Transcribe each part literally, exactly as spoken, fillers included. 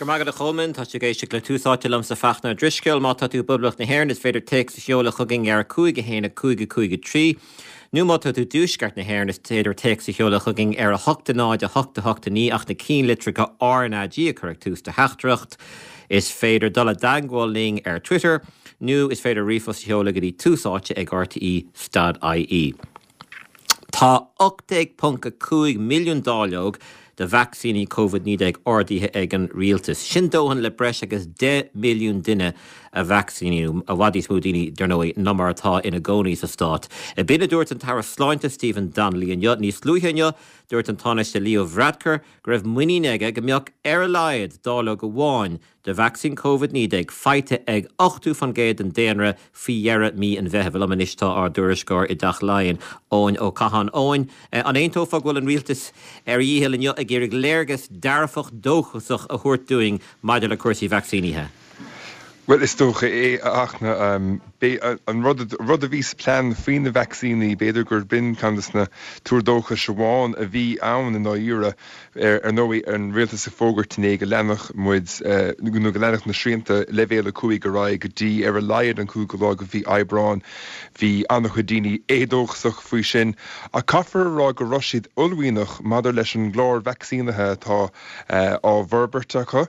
Go maith agat a Cholmáin, tá tú ag éisteacht le Tús Áite liomsa Fachtna Ó Drisceoil, má tá tú i bPoblacht na hÉireann is féidir téacs a sheoladh chugainn ar a cúig a haon a cúig a cúig a trí, nó má tá tú i dtuaisceart na hÉireann is féidir téacs a sheoladh chugainn ar a hocht a náid a hocht a hocht a naoi ach na cinnlitreacha R N A G a chur ag tús do theachtaireacht. Is féidir dul i dteagmháil linn ar Twitter nó is féidir ríomhphost a sheoladh go dtí tús áite ag R T E dot I E. Tá ocht déag ponc a cúig milliún dáileog de vacsaíní Covid naoi déag ordaithe ag an rialtas. Sin dóthain le breis agus deich milliún duine a vacsaíniú, i bhfad níos mó daoine, dar ndóigh, ná mar atá ina gcónaí sa stát. B'in a dúirt an tAire Sláinte Stephen Donnelly inniu. Níos luaithe inniu, dúirt an Tánaiste Leo Varadkar go raibh muinín aige go mbeadh ar a laghad dáileog amháin de vacsaín Covid naoi déag faighte ag ochtó faoin gcéad den daonra faoi dheireadh mí an Mheithimh. Liom anois tá ár dtuairisceoir i dTeach Laighean, Eoin Ó Catháin. Eoin, an aontófá go bhfuil an rialtas ar a dhícheall inniu ag iarraidh léargas dearfach dóchasach a thabhairt dúinn maidir le cúrsaí vacsaínithe? Well, is dócha é, a Fhachtna, an rud rud a bhí sa plean faoi na vacsaíní, b'fhéidir gur b'in ceann de na tuar dóchais amháin a bhí ann i ndáiríre ar ar ndóigh an rialtas ag fógairt inné go leanfadh muid nó go leanfadh na srianta leibhéal a cúig ar aghaidh go dtí ar a laghad an cúigiú lá de mhí Aibreán. Bhí an-chuid daoine éadóchasach faoi sin, ach caithfear a rá go raibh siad uaillmhianach maidir leis an gclár vacsaínithe atá á bhforbairt acu.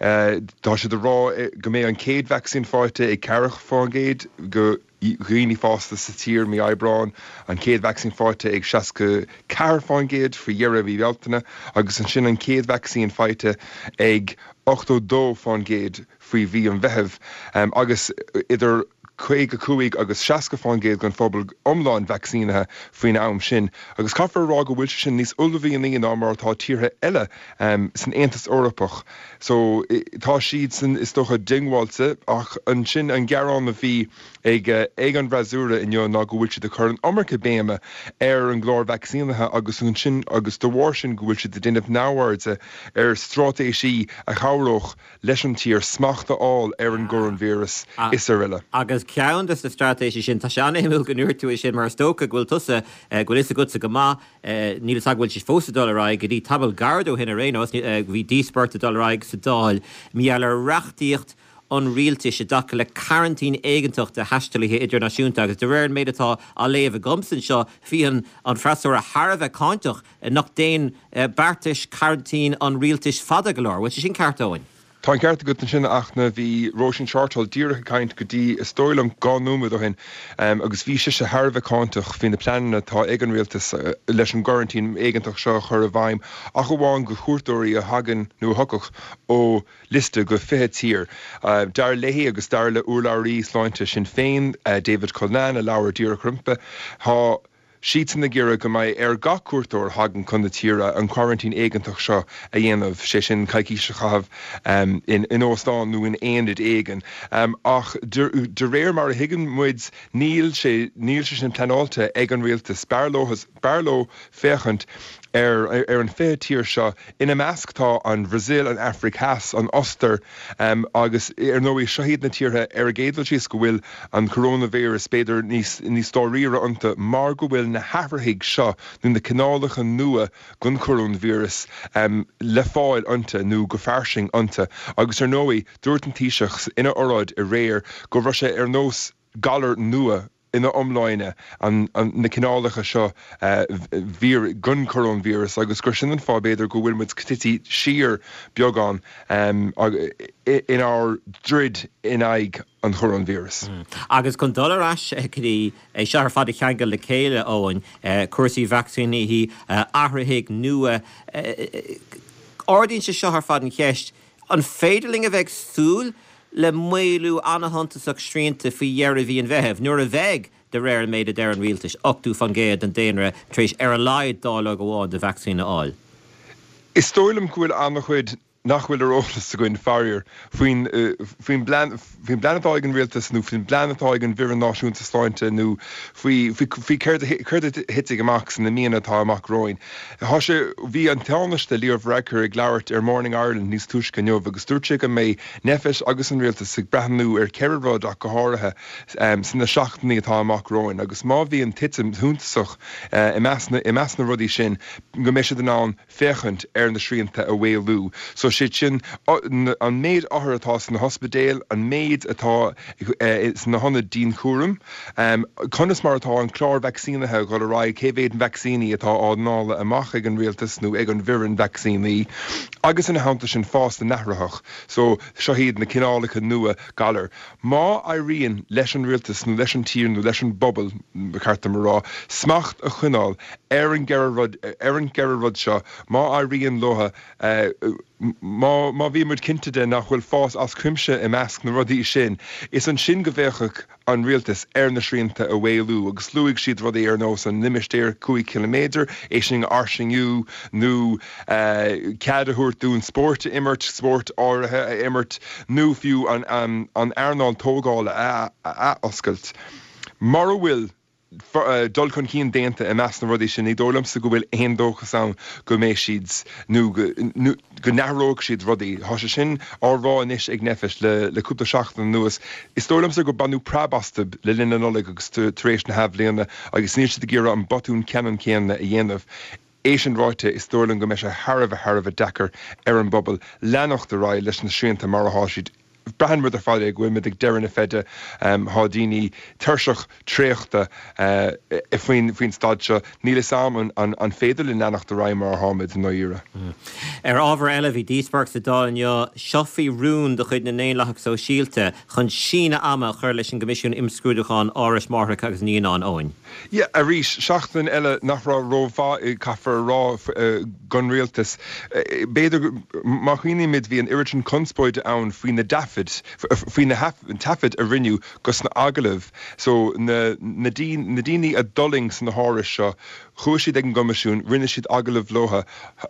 Tá siad ag rá go mbeidh an chéad vacsaín faighte ag ceathracha faoin gcéad de dhaoine fásta sa tír mí Aibreán, an chéad vacsaín faighte ag seasca ceathair faoin gcéad faoi dheireadh mhí Bealtaine, agus ansin an chéad vacsaín faighte ag ochtó dó faoin gcéad faoi mhí an Mheithimh, agus idir caoga cúig agus seasca faoin gcéad den phobal iomlán vacsaínithe faoin am sin. Agus caithfear a rá go bhfuil sé sin níos uaillmhianaí ná mar atá tíortha eile san Aontas Eorpach. So tá siadsan is dócha diongbháilte, ach ansin an gearán a bhí ag ag an bhfreasúra inniu ná go bhfuil siad ag cur an iomarca béime ar an gclár vacsaínithe agus ansin agus de bharr sin go bhfuil siad ag déanamh neamhairde ar straitéisí a chabhródh leis an tír smacht a fháil ar an gcoróinvíreas is araile. Agus ceann de na straitéisí sin, tá sé an-shuimiúil go ndúirt tú é sin, mar is dócha go bhfuil tusa, go bhfuil fhios agatsa go maith, níl fhios agam go bhfuil sé fós ag dul ar aghaidh go dtí tamall gairid ó shin ar aon nós, bhí díospóireacht ag dul ar aghaidh sa Dáil, mar gheall ar reachtaíocht an rialtais i dtaca le cearantín éigeantach do thaistealaithe idirnáisiúnta, agus de réir an méid atá á léamh agamsa anseo, bhí an an freasúra thar a bheith cáinteach nach dtéann beartais cearantín an rialtais fada go leor. Bhfuil sé sin ceart, Eoin? Tá an ceart agat ansin, a Fhachtna, bhí Róisín Shortall díreach ag caint go dtí is dóigh liom dhá nóiméad ó shin, agus bhí sise thar a bheith cáinteach faoi na pleananna atá ag an rialtas leis an gcoraintín éigeantach seo a chur i bhfeidhm, ach amháin do chuairteoirí a thagann nó a thiocfadh ó liosta de fiche tír. Dar léi agus dar le urlabhraí sláinte Sinn Féin, David Cullinane, a labhair díreach roimpi, tá siadsan ag iarraidh go mbeidh ar gach cuairteoir a thagann chun na tíre an quarantine éigeantach seo a dhéanamh, sé sin coicís a chaitheamh in in óstán nó in aonad éigin. Ach de de réir mar a thuigeann muid, níl sé níl sé sin pleanáilte ag an rialtas. B'fhearr leo b'fhearr leo féachaint ar ar an fiche tír seo. Ina measc tá an Bhrasaíl, an Afraic Theas, an Ostair, agus ar ndóigh seo iad na tíortha ar an gcéad dul síos go bhfuil an coronavirus b'fhéidir níos níos dáiríre iontu mar go bhfuil na hathraithigh seo nó na cineálacha nua den choróinvíreas le fáil iontu nó go fairsing iontu. Agus ar ndóigh, dúirt an Taoiseach ina óráid aréir go raibh sé ar nós galar nua ina iomláine an na cineálacha seo den choróinvíreas agus gur sin an fáth b'fhéidir go bhfuil muid tite siar beagán inár dtroid in aghaidh an choróinvíreas. Agus chun dul ar ais go dtí é seo ar fad a cheangal le chéile, Eoin, cúrsaí vacsaínithe, athraithigh nua, ardaíonn sé seo ar fad an cheist, an féidir linn a bheith ag súil le maolú an-shuntasach srianta faoi dheireadh mhí an Mheithimh, nuair a bheidh, de réir an méid a deir an rialtas, ochtó faoin gcéad den daonra tar éis ar a laghad dáileog amháin de vacsaín a fháil? Is dóigh liom go bhfuil an-chuid nach bhfuil ar eolas againn, faraor, faoin faoin bplean faoin bplean atá ag an rialtas nó faoin bplean atá ag an bhFoireann Náisiúnta Sláinte nó faoi faoi faoi céard a céard a thitfidh amach sna míonna atá amach romhainn. Tá sé bhí an Tánaiste Leo Varadkar ag labhairt ar Morning Ireland níos túisce inniu agus dúirt sé go mbeidh Nphet agus an rialtas ag breathnú ar ceithre rud ach go háirithe sna seachtainí atá amach romhainn agus má bhíonn titim shuntasach i measc na i measc na rudaí sin go mbeidh siad in ann féachaint ar na srianta a mhaolú. So sé sin an méid othar atá sna hospidéil, an méid atá sna hionaid dianchúraim, conas mar atá an clár vacsaínithe ag dul ar aghaidh, cé mhéad vacsaíní atá á ndáileadh amach ag an rialtas nó ag an bhfoireann vacsaíní, agus ina theannta sin fás na n-athraitheach. So seo iad na cineálacha nua galar. Má éiríonn leis an rialtas nó leis an tír nó leis an bpobal, ba cheart dom a rá, smacht a choinneáil ar an gceithre rud, ar an gceithre rud seo, má éiríonn leo, má má bhíonn muid cinnte de nach bhfuil fás as cuimse i measc na rudaí sin, is ansin go bhféachfadh an rialtas ar na srianta a mhaolú agus luaigh siad rudaí ar nós an limistéar cúig chiliméadar, é sin a fhairsingiú nó cead a thabhairt dúinn spórt a imirt, spórt áirithe a imirt nó fiú an an earnáil tógála a athoscailt. Mura bhfuil dul chun cinn déanta i measc na rudaí sin, ní dóigh liomsa go bhfuil aon dóchas ann go mbeidh siad nó go n-athróidh siad rudaí. Tá sé sin á rá anois ag Nphet le cúpla seachtain anuas. Is dóigh liomsa gur baineadh preab astu le linn na Nollag agus tar éis na hAthbhliana agus níl siad ag iarraidh an botún ceannann céanna a dhéanamh. É sin ráite, is dóigh liom go mbeidh sé thar a bheith thar a bheith deacair ar an bpobal leanacht ar aghaidh leis na srianta mar atá siad. Braitheann muid ar fad é go bhfuil muid ag deireadh na feide. Tá daoine tuirseach traochta faoin faoin staid seo. Níl fhios a'm an an féidir linn leanacht ar aghaidh mar atáimid i ndáiríre. Ar ábhar eile, bhí díospóireacht sa Dáil inniu seo faoi rún de chuid na nDaonlathach Sóisialta chun síneadh ama a chur leis an gCoimisiún Imscrúdúcháin Árais Máithreacha agus Naíonán, Eoin. Yeah, arís, seachtain eile nach raibh rómhaith, caithfear a rá, don rialtas. B'fhéidir, má chuimhnímid, bhí an oiread sin conspóide ann faoi na taifid, faoi na taifid a rinneadh dos na agallaimh. So, na na daoine a d'fhulaing sna hárais seo, chuaigh siad ag an gCoimisiún, rinne siad agallamh leo.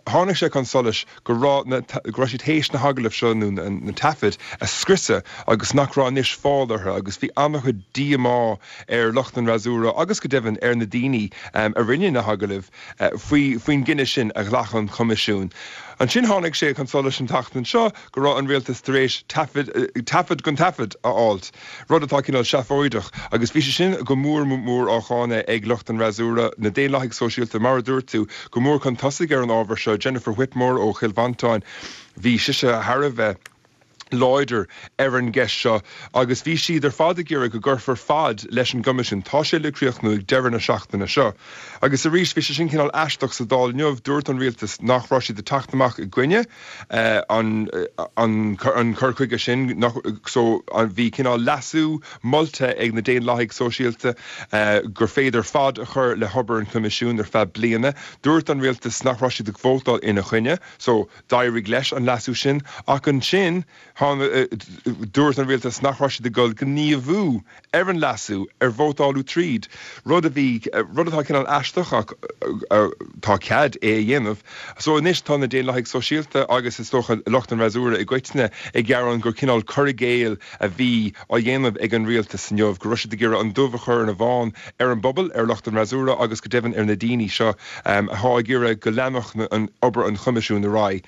Tháinig sé chun solais go raibh na, go raibh siad théis na hagallaimh seo nó na taifid a scriosadh agus nach raibh anois fáil orthu agus bhí an-chuid díomá ar lucht an fhreasúra agus go deimhin ar na daoine a rinne na hagallaimh faoi faoin gcinneadh sin a ghlac an Coimisiún. Ansin tháinig sé chun solais an tseachtain seo go raibh an rialtas tar éis taifead taifead den taifead a fháilt, rud atá cineál seafóideach, agus bhí sé sin go mór mór á cháineadh ag lucht an fhreasúra, na Daonlathaigh Sóisialta, mar a dúirt tú, go mór chun tosaigh ar an ábhar seo, Jennifer Whitmore ó Chill Mhantáin, bhí sise thar a bheith láidir ar an gceist seo agus bhí siad ar fad ag iarraidh go gcuirfear fad leis an gCoimisiún. Tá sé le críochnú ag deireadh na seachtaine seo. Agus arís, bhí sé sin cineál aisteach sa Dáil inniu, dúirt an rialtas nach raibh siad ag teacht amach i gcoinne an an cur chuige sin, nach so bhí cineál leasú molta ag na Daonlathaigh Sóisialta gur féidir fad a chur le hobair an Choimisiúin ar feadh bliana. Dúirt an rialtas nach raibh siad ag vótáil ina choinne, so d'éirigh leis an leasú sin ach ansin dúirt an rialtas nach raibh siad ag dul gníomhú ar an leasú ar vótáladh tríd, rud a bhí, rud atá cineál aisteach ach tá cead é a dhéanamh. So anois tá na Daonlathaigh Sóisialta agus is dócha lucht an fhreasúra i gcoitinne ag gearán gur cineál cur i gcéill a bhí á dhéanamh ag an rialtas inniu, go raibh siad ag iarraidh an dubh a chur ar an bhán ar an bpobal, ar lucht an fhreasúra agus go deimhin ar na daoine seo atá ag iarraidh go leanfadh an obair an Choimisiúin ar aghaidh.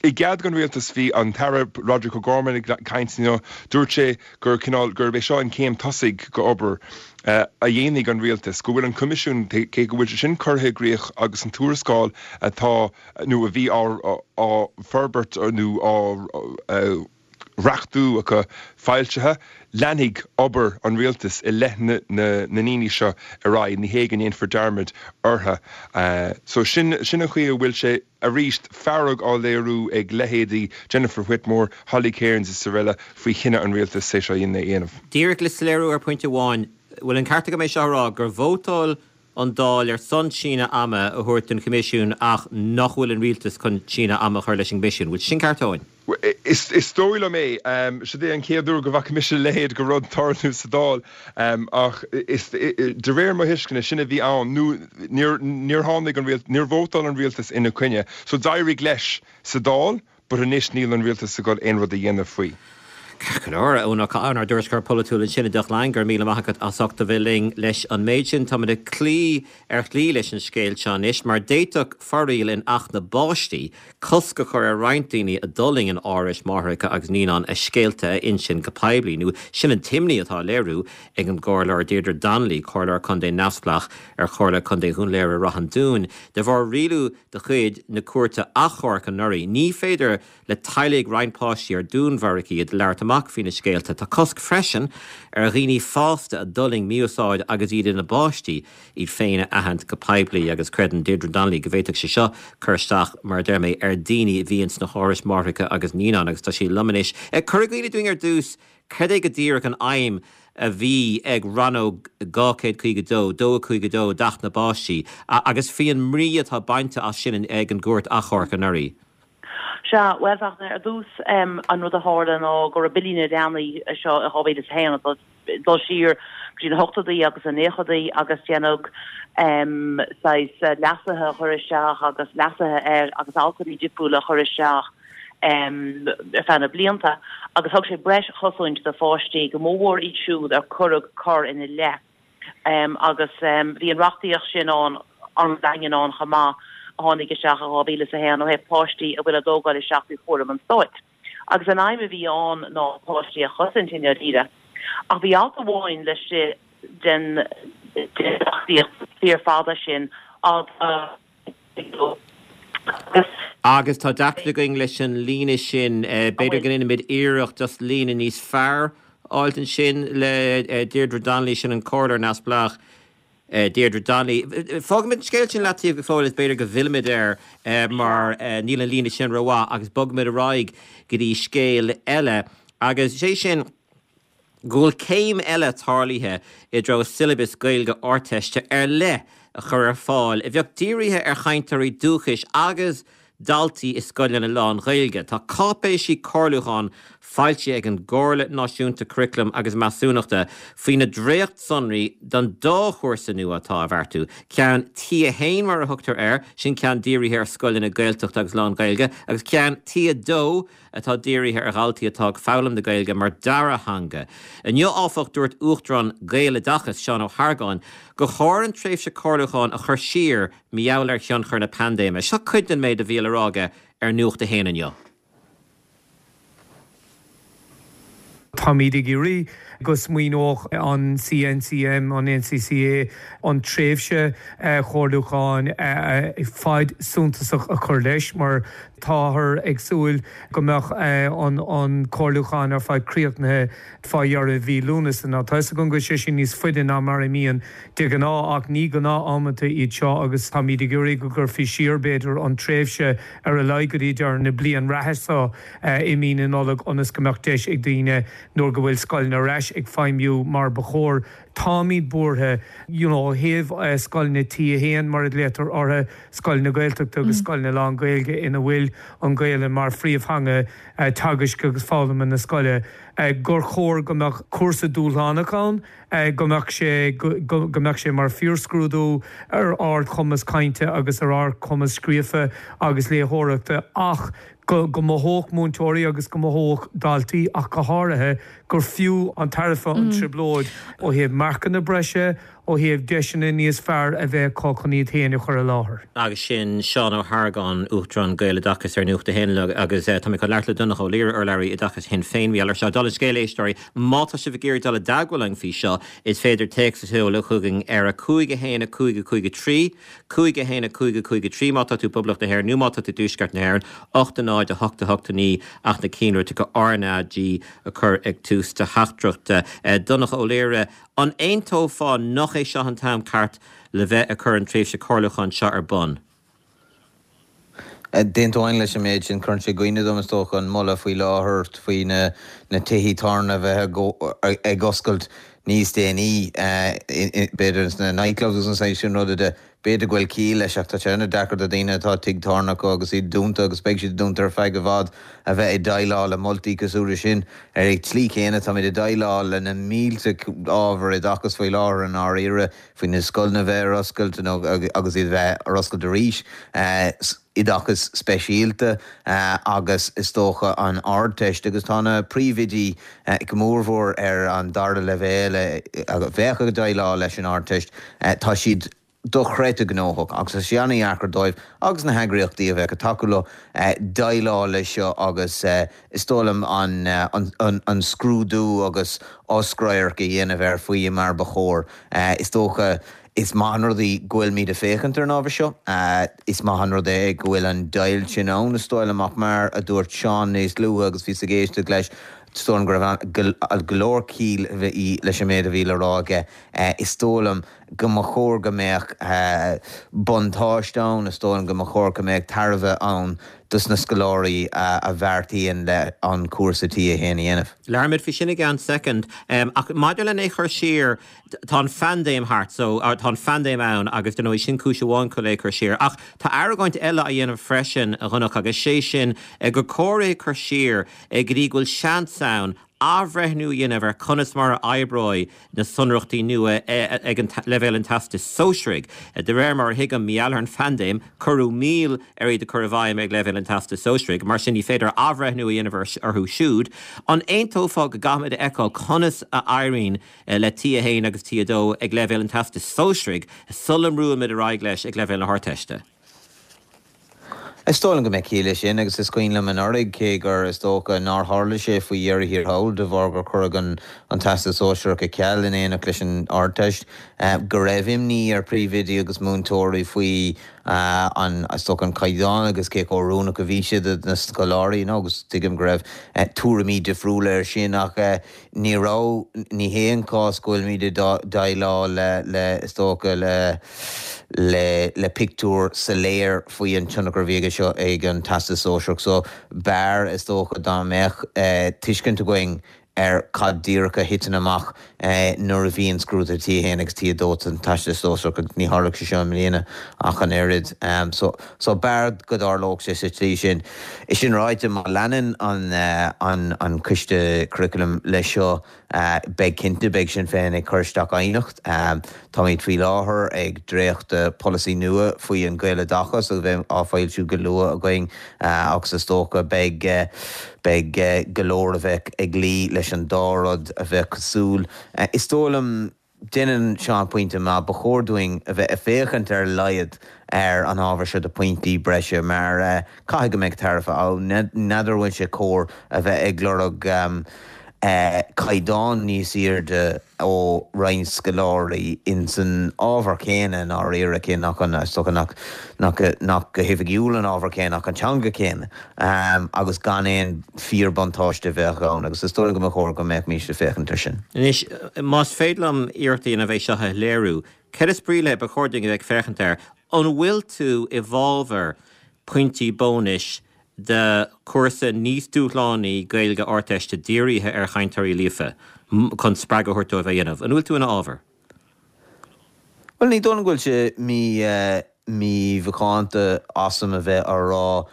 I gcead don rialtas bhí an tAire Roderick O'Gorman ag caint inniu. Dúirt sé gur cineál, gurb é seo an chéim tosaigh go obair a dhéanfaidh an rialtas, go bhfuil an Coimisiún, cé go bhfuil sé sin curtha i gcrích agus an tuarascáil atá nó a bhí á forbairt nó á reachtú acu foilsithe, leanfaidh obair an rialtais i leith na ndaoine seo ar aghaidh, ní hé go ndéanfar dearmad orthu. So sin sin an chaoi a bhfuil sé arís, fearg á léiriú ag leithéidí Jennifer Whitmore, Holly Cairns is araile faoi chinneadh an rialtais é seo a dhéanamh. Díreach le soiléiriú ar phointe amháin, bhfuil an ceart agam é seo a rá, gur vótáil an Dáil ar son síneadh ama a thabhairt don Choimisiún ach nach bhfuil an rialtas chun síneadh ama a chur leis an gCoimisiún. Bhfuil sin ceart, Eoin? Is dóigh liom é. Siod é an chéad uair go bhfaca mise a leithéid de rud tarlú sa Dáil ach de réir mo thuisceana, sin a bhí ann nó níor níor tháinig an rialtas, níor vótáil an rialtas ina coinne. So d'éirigh leis sa Dáil but anois níl an rialtas ag dul aon rud a dhéanamh faoi. Ceart go leor, Eoin Ó Catháin, ár dtuairisceoir polaitiúil ansin i dTeach Laighean, go raibh míle maith agat as ucht a bheith linn leis an méid sin. Táimid ag cloí ar shlí leis an scéal seo anois, mar d'fhéadfadh foráil in Acht na bPáistí cosc a chur ar roinnt daoine a d'fhulaing in árais máithreacha agus naíonán a scéalta a insint go poiblí, nó sin an t-imní atá á léiriú ag an gComhairleoir Deirdre Donnelly, Comhairleoir Contae neamhspleách ar Chomhairle Contae Dhún Laoghaire-Ráth an Dúin. De bharr rialú de chuid na Cúirte Achomhairc anuraidh, ní féidir le teaghlaigh roinnt páistí ar dúnmharaíodh iad labhairt amach faoina scéalta. Tá cosc freisin ar dhaoine fásta a d'fhulaing mí-úsáid agus iad ina bpáistí iad féin a aithint go poiblí agus creideann Deirdre Donnelly go bhféadfadh sé seo cur isteach, mar a deir mé, ar dhaoine a bhíonn sna hárais máithreacha agus naíonán agus tá sí liom anois. Cuir i gcuimhne dúinn ar dtús cad é go díreach an aidhm a bhí ag rannóg dhá chéad caoga dó, dó a cúig a dó d'Acht na bPáistí agus faoi an mbrí atá bainte as sin ag an gCúirt Achomhairc anuraidh. Sea, bhuel, Fachtna, ar dtús, an rud a tharla ná go raibh Bille na Leanaí seo i dhá mhíle is a haon ag dul siar go dtí na hochtóidí agus na naochadaí agus déanadh saghas leasuithe a chur isteach agus leasuithe air agus altanna difriúla a chur isteach ar feadh na blianta agus thug sé breis chosaint do pháistí, go mórmhór iad siúd ar cuireadh coir ina leith. Agus bhí an reachtaíocht sin ann, an-daingean ann chomh maith, a tháinig isteach i dhá mhíle is a haon ó thaobh páistí a bhfuil á dtógáil isteach faoi chúram an stáit. Agus an aidhm a bhí ann ná páistí a chosaint i ndáiríre. Ach bhí alt amháin laistigh den reachtaíocht fíorfhada sin, alt a agus. Agus tá deacracht againn leis an líne sin. B'fhéidir go ndéanfaimid iarracht just líne níos fearr a fháilt ansin le Deirdre Donnelly, sin an Comhairleoir Neamhspleách Deirdre Donnelly. Fágfaimid an scéal sin leataobh go fóill is b'fhéidir go bhfillfimid air mar níl an líne sin rómhaith agus bogfaimid ar aghaidh go dtí scéal eile agus sé sin go bhfuil céim eile tarlaithe i dtreo siollabas Gaeilge Ardteiste ar leith a chur ar fáil a bheadh dírithe ar chainteoirí dúchais agus daltaí i scoileanna lán-Ghaeilge. Tá cáipéisí comhairliúcháin foilsithe ag an gComhairle Náisiúnta Curaclaim agus Measúnachta faoi na dréachtsonraí don dá chúrsa nua atá á bheartú, ceann T a haon mar a thugtar air, sin ceann dírithe ar scoileanna Gaeltachta agus lán-Ghaeilge, agus ceann T a dó atá dírithe ar dhaltaí atá ag foghlaim na Gaeilge mar dara theanga. Inniu, áfach, dúirt Uachtarán Gaeloideachas, Seán Ó hArgáin, gur chóir an tréimhse comhairliúcháin a chur siar mar gheall ar thionchar na paindéime. Seo cuid den méid a bhí le rá aige ar Nuacht a hAon inniu. Táimid ag iarraidh go smaoineodh an C N C M, an N C C A, an tréimhse chomhairliúcháin fad suntasach a chur leis mar táthar ag súil go mbeadh an comhairliúchán ar fad críochnaithe fá dheireadh mhí Lúnasa. Now tá fhios agam go bhfuil sé sin níos faide ná mar a mbíonn de ghnáth ach ní gnáth-amanta iad seo agus táimid ag iarraidh go gcuirfí siar b'fhéidir an tréimhse ar a laghad go dtí deireadh na bliana reatha seo i mí na Nollag ionas go mbeadh deis ag daoine nuair go bhfuil scoileanna ar ais ag feidhmiú mar ba chóir. Táimid buartha you know ó thaobh scoileanna T a haon mar a ghlaotar orthu, scoileanna Gaeltachta agus scoileanna lán-Ghaeilge ina bhfuil an Ghaelainn mar phríomhtheanga teagaisc agus foghlama na scoile, gur chóir go mbeadh cúrsa dúshlánach ann, go mbeadh sé go mbeadh sé mar fíorscrúdú ar ardchumas cainte agus ar ardchumas scríofa agus léitheoireachta ach go go mothódh múinteoirí agus go mothódh daltaí ach go háirithe gur fiú an tairbhe an trioblóid ó thaobh marcanna breise, ó thaobh deiseanna níos fearr a bheith acu chun iad féin a chur i láthair. Agus sin Seán Ó hArgáin, Uachtarán Gaeloideachas ar Nuacht a hAon agus tá mé chun labhairt le Donncha Ó Laoghaire, urlabhraí Oideachais Shinn Féin. Bhí ar seo dála an scéil, a éisteoirí, má tá sibh ag iarraidh dul i dteagmháil linn faoi seo, is féidir téacs a sheoladh chugainn ar a cúig a haon a cúig a cúig a trí, cúig a haon a cúig a cúig a trí má tá tú i bPoblacht na hÉireann nó má tá tú i dTuaisceart na hÉireann, ocht a náid a hocht a hocht a naoi ach na cinnlitreacha R N A G a chur ag tús do theachtaireachta. Donncha Ó Laoghaire, an aontófá nach é seo an t-am ceart le bheith ag cur an tréimhse comhairliúcháin seo ar bun? D'aontóinn leis an méid sin. Cuireann sé i gcuimhne dom, is dócha, an moladh faoi láthair faoi na na tithí tábhairne a bheith ag oscailt níos déanaí, b'fhéidir sna nightclubs agus an saghas sin ruda de. B'fhéidir go bhfuil ciall leis ach tá sé an-deacair do dhaoine atá tigh tábhairne acu agus iad dúnta agus beidh siad dúnta ar feadh i bhfad a bheith ag déileáil le moltaí cosúil leis sin. Ar an tslí chéanna táimid ag déileáil le na mílte ábhar oideachais faoi láthair i ndáiríre faoi na scoileanna bheith ar oscailt nó agus iad bheith ar oscailt arís. oideachas speisialta agus is dócha an Ardteist agus tá na príomhoidí go mórmhór ar an dara leibhéal a bheadh ag déileáil leis an Ardteist, tá siad dochreidte gnóthach agus tá sé an-deacair dóibh agus na heagraíochtaí a bheadh ag tacú leo déileáil leis seo agus is dóigh liom an scrúdú agus oscradharc a dhéanamh air faoi mar ba chóir. Is dócha is maith an rud é go bhfuilimid ag féachaint ar an ábhar seo. Is maith an rud é go bhfuil an deighilt sin ann, is dóigh liom, ach mar a dúirt Seán níos luaithe agus bhíos ag éisteacht leis, is dóigh liom go raibh go leor ciall leis an méid a bhí le rá aige. Is dóigh liom go mba chóir go mbeadh buntáiste ann, is dóigh liom go mba chóir go mbeadh tairbhe ann dos na scoláirí a bheartaíonn le an cúrsa T a haon a dhéanamh. Labhróimid faoi sin i gceann soicind. Ach maidir lena chur siar, tá an phaindéim thart, so tá an phaindéim ann agus dar ndóigh sin cúis amháin chun é a chur siar. Ach tá argóint eile á dhéanamh freisin, a Dhonncha, agus sé sin gur cóir é a chur siar go dtí go bhfuil seans ann athbhreithniú a dhéanamh ar conas mar a oibreoidh na sonraíochtaí nua ag an leibhéal an Teastais Sóisearaigh. De réir mar a thuigim, mar gheall ar an phaindéim, cuireadh moill ar iad a chur i bhfeidhm ag leibhéal an Teastais Sóisearaigh, mar sin ní féidir athbhreithniú a dhéanamh orthu siúd. An aontófá go gcaithfimid a fheiceáil conas a éiríonn le T a haon agus T a dó ag leibhéal an Teastais Sóisearaigh sula mbrúimid ar aghaidh leis ag leibhéal na hArdteiste? Is dóigh liom go mbeadh ciall leis sin agus is cuimhin liom anuraidh, cé gur is dócha nár tharla sé faoi dheireadh thiar thall de bharr gur cuireadh an an Teastas Sóisearach ar ceal in éineacht leis an Ardteist, go raibh imní ar phríomhoidí agus múinteoirí faoi an is dócha an caighdeán agus cé chomh oiriúnach a bhí sé do na scoláirí nó agus tuigim go raibh tuairimí difriúla air sin ach ní raibh, ní hé an cás go bhfuilimid ag déileáil le le is dócha le le le pictiúr soiléir faoi an tionchar a bhí aige seo ag an Teastas Sóisearach so b'fhearr is dócha dá mbeadh tuiscint againn ar cad díreach a thiteann amach nuair a bhíonn scrúduithe T a haon agus T a dó san Teastas Sóisearach agus ní tharlódh sé seo i mbliana ach an oiread. So so b'fhearr go dtarlódh sé sa tslí sin. É sin ráite, má leanann an an an Coiste Curaclaim leis seo, Beidh cinnte, beidh Sinn Féin ag cur isteach aighneacht. Táimid faoi láthair ag dréachtadh polasaí nua faoi an Ghaeloideachas a bheidh á foilsiú go luath againn agus is dócha beidh beidh go leor a bheidh ag luí leis an dá rud a bheith cosúil. Is dóigh liom. Déanann Seán pointe maith, ba chóir dúinn a bheith ag féachaint ar a laghad ar an ábhar seo do phointí breise mar caithfidh go mbeidh tairbhe ann. N'fheadar an bhfuil sé cóir a bheith ag lorg caighdeán níos airde ó roinnt scoláirí ins an ábhar céanna i ndáiríre, cé nach an, is dócha nach, nach, nach go hoifigiúil an ábhar céanna ach an teanga céanna agus gan aon fíorbhuntáiste a bheadh ann agus is dóigh liom go mba chóir go mbeimís ag féachaint air sin. Anois, más féidir liom iarracht a dhéanamh é seo a shoiléiriú, céard is brí le ba chóir dúinn a bheith ag féachaint air? An bhfuil tú i bhfabhar pointí bónais do chúrsa níos dúshlánaí Gaeilge Ardteiste dírithe ar chainteoirí líofa chun spreagadh a thabhairt dóibh é a dhéanamh? An bhfuil tú ina fhábhar? Bhuel, ní dóigh liom go bhfuil sé mímhacánta asam a bheith á rá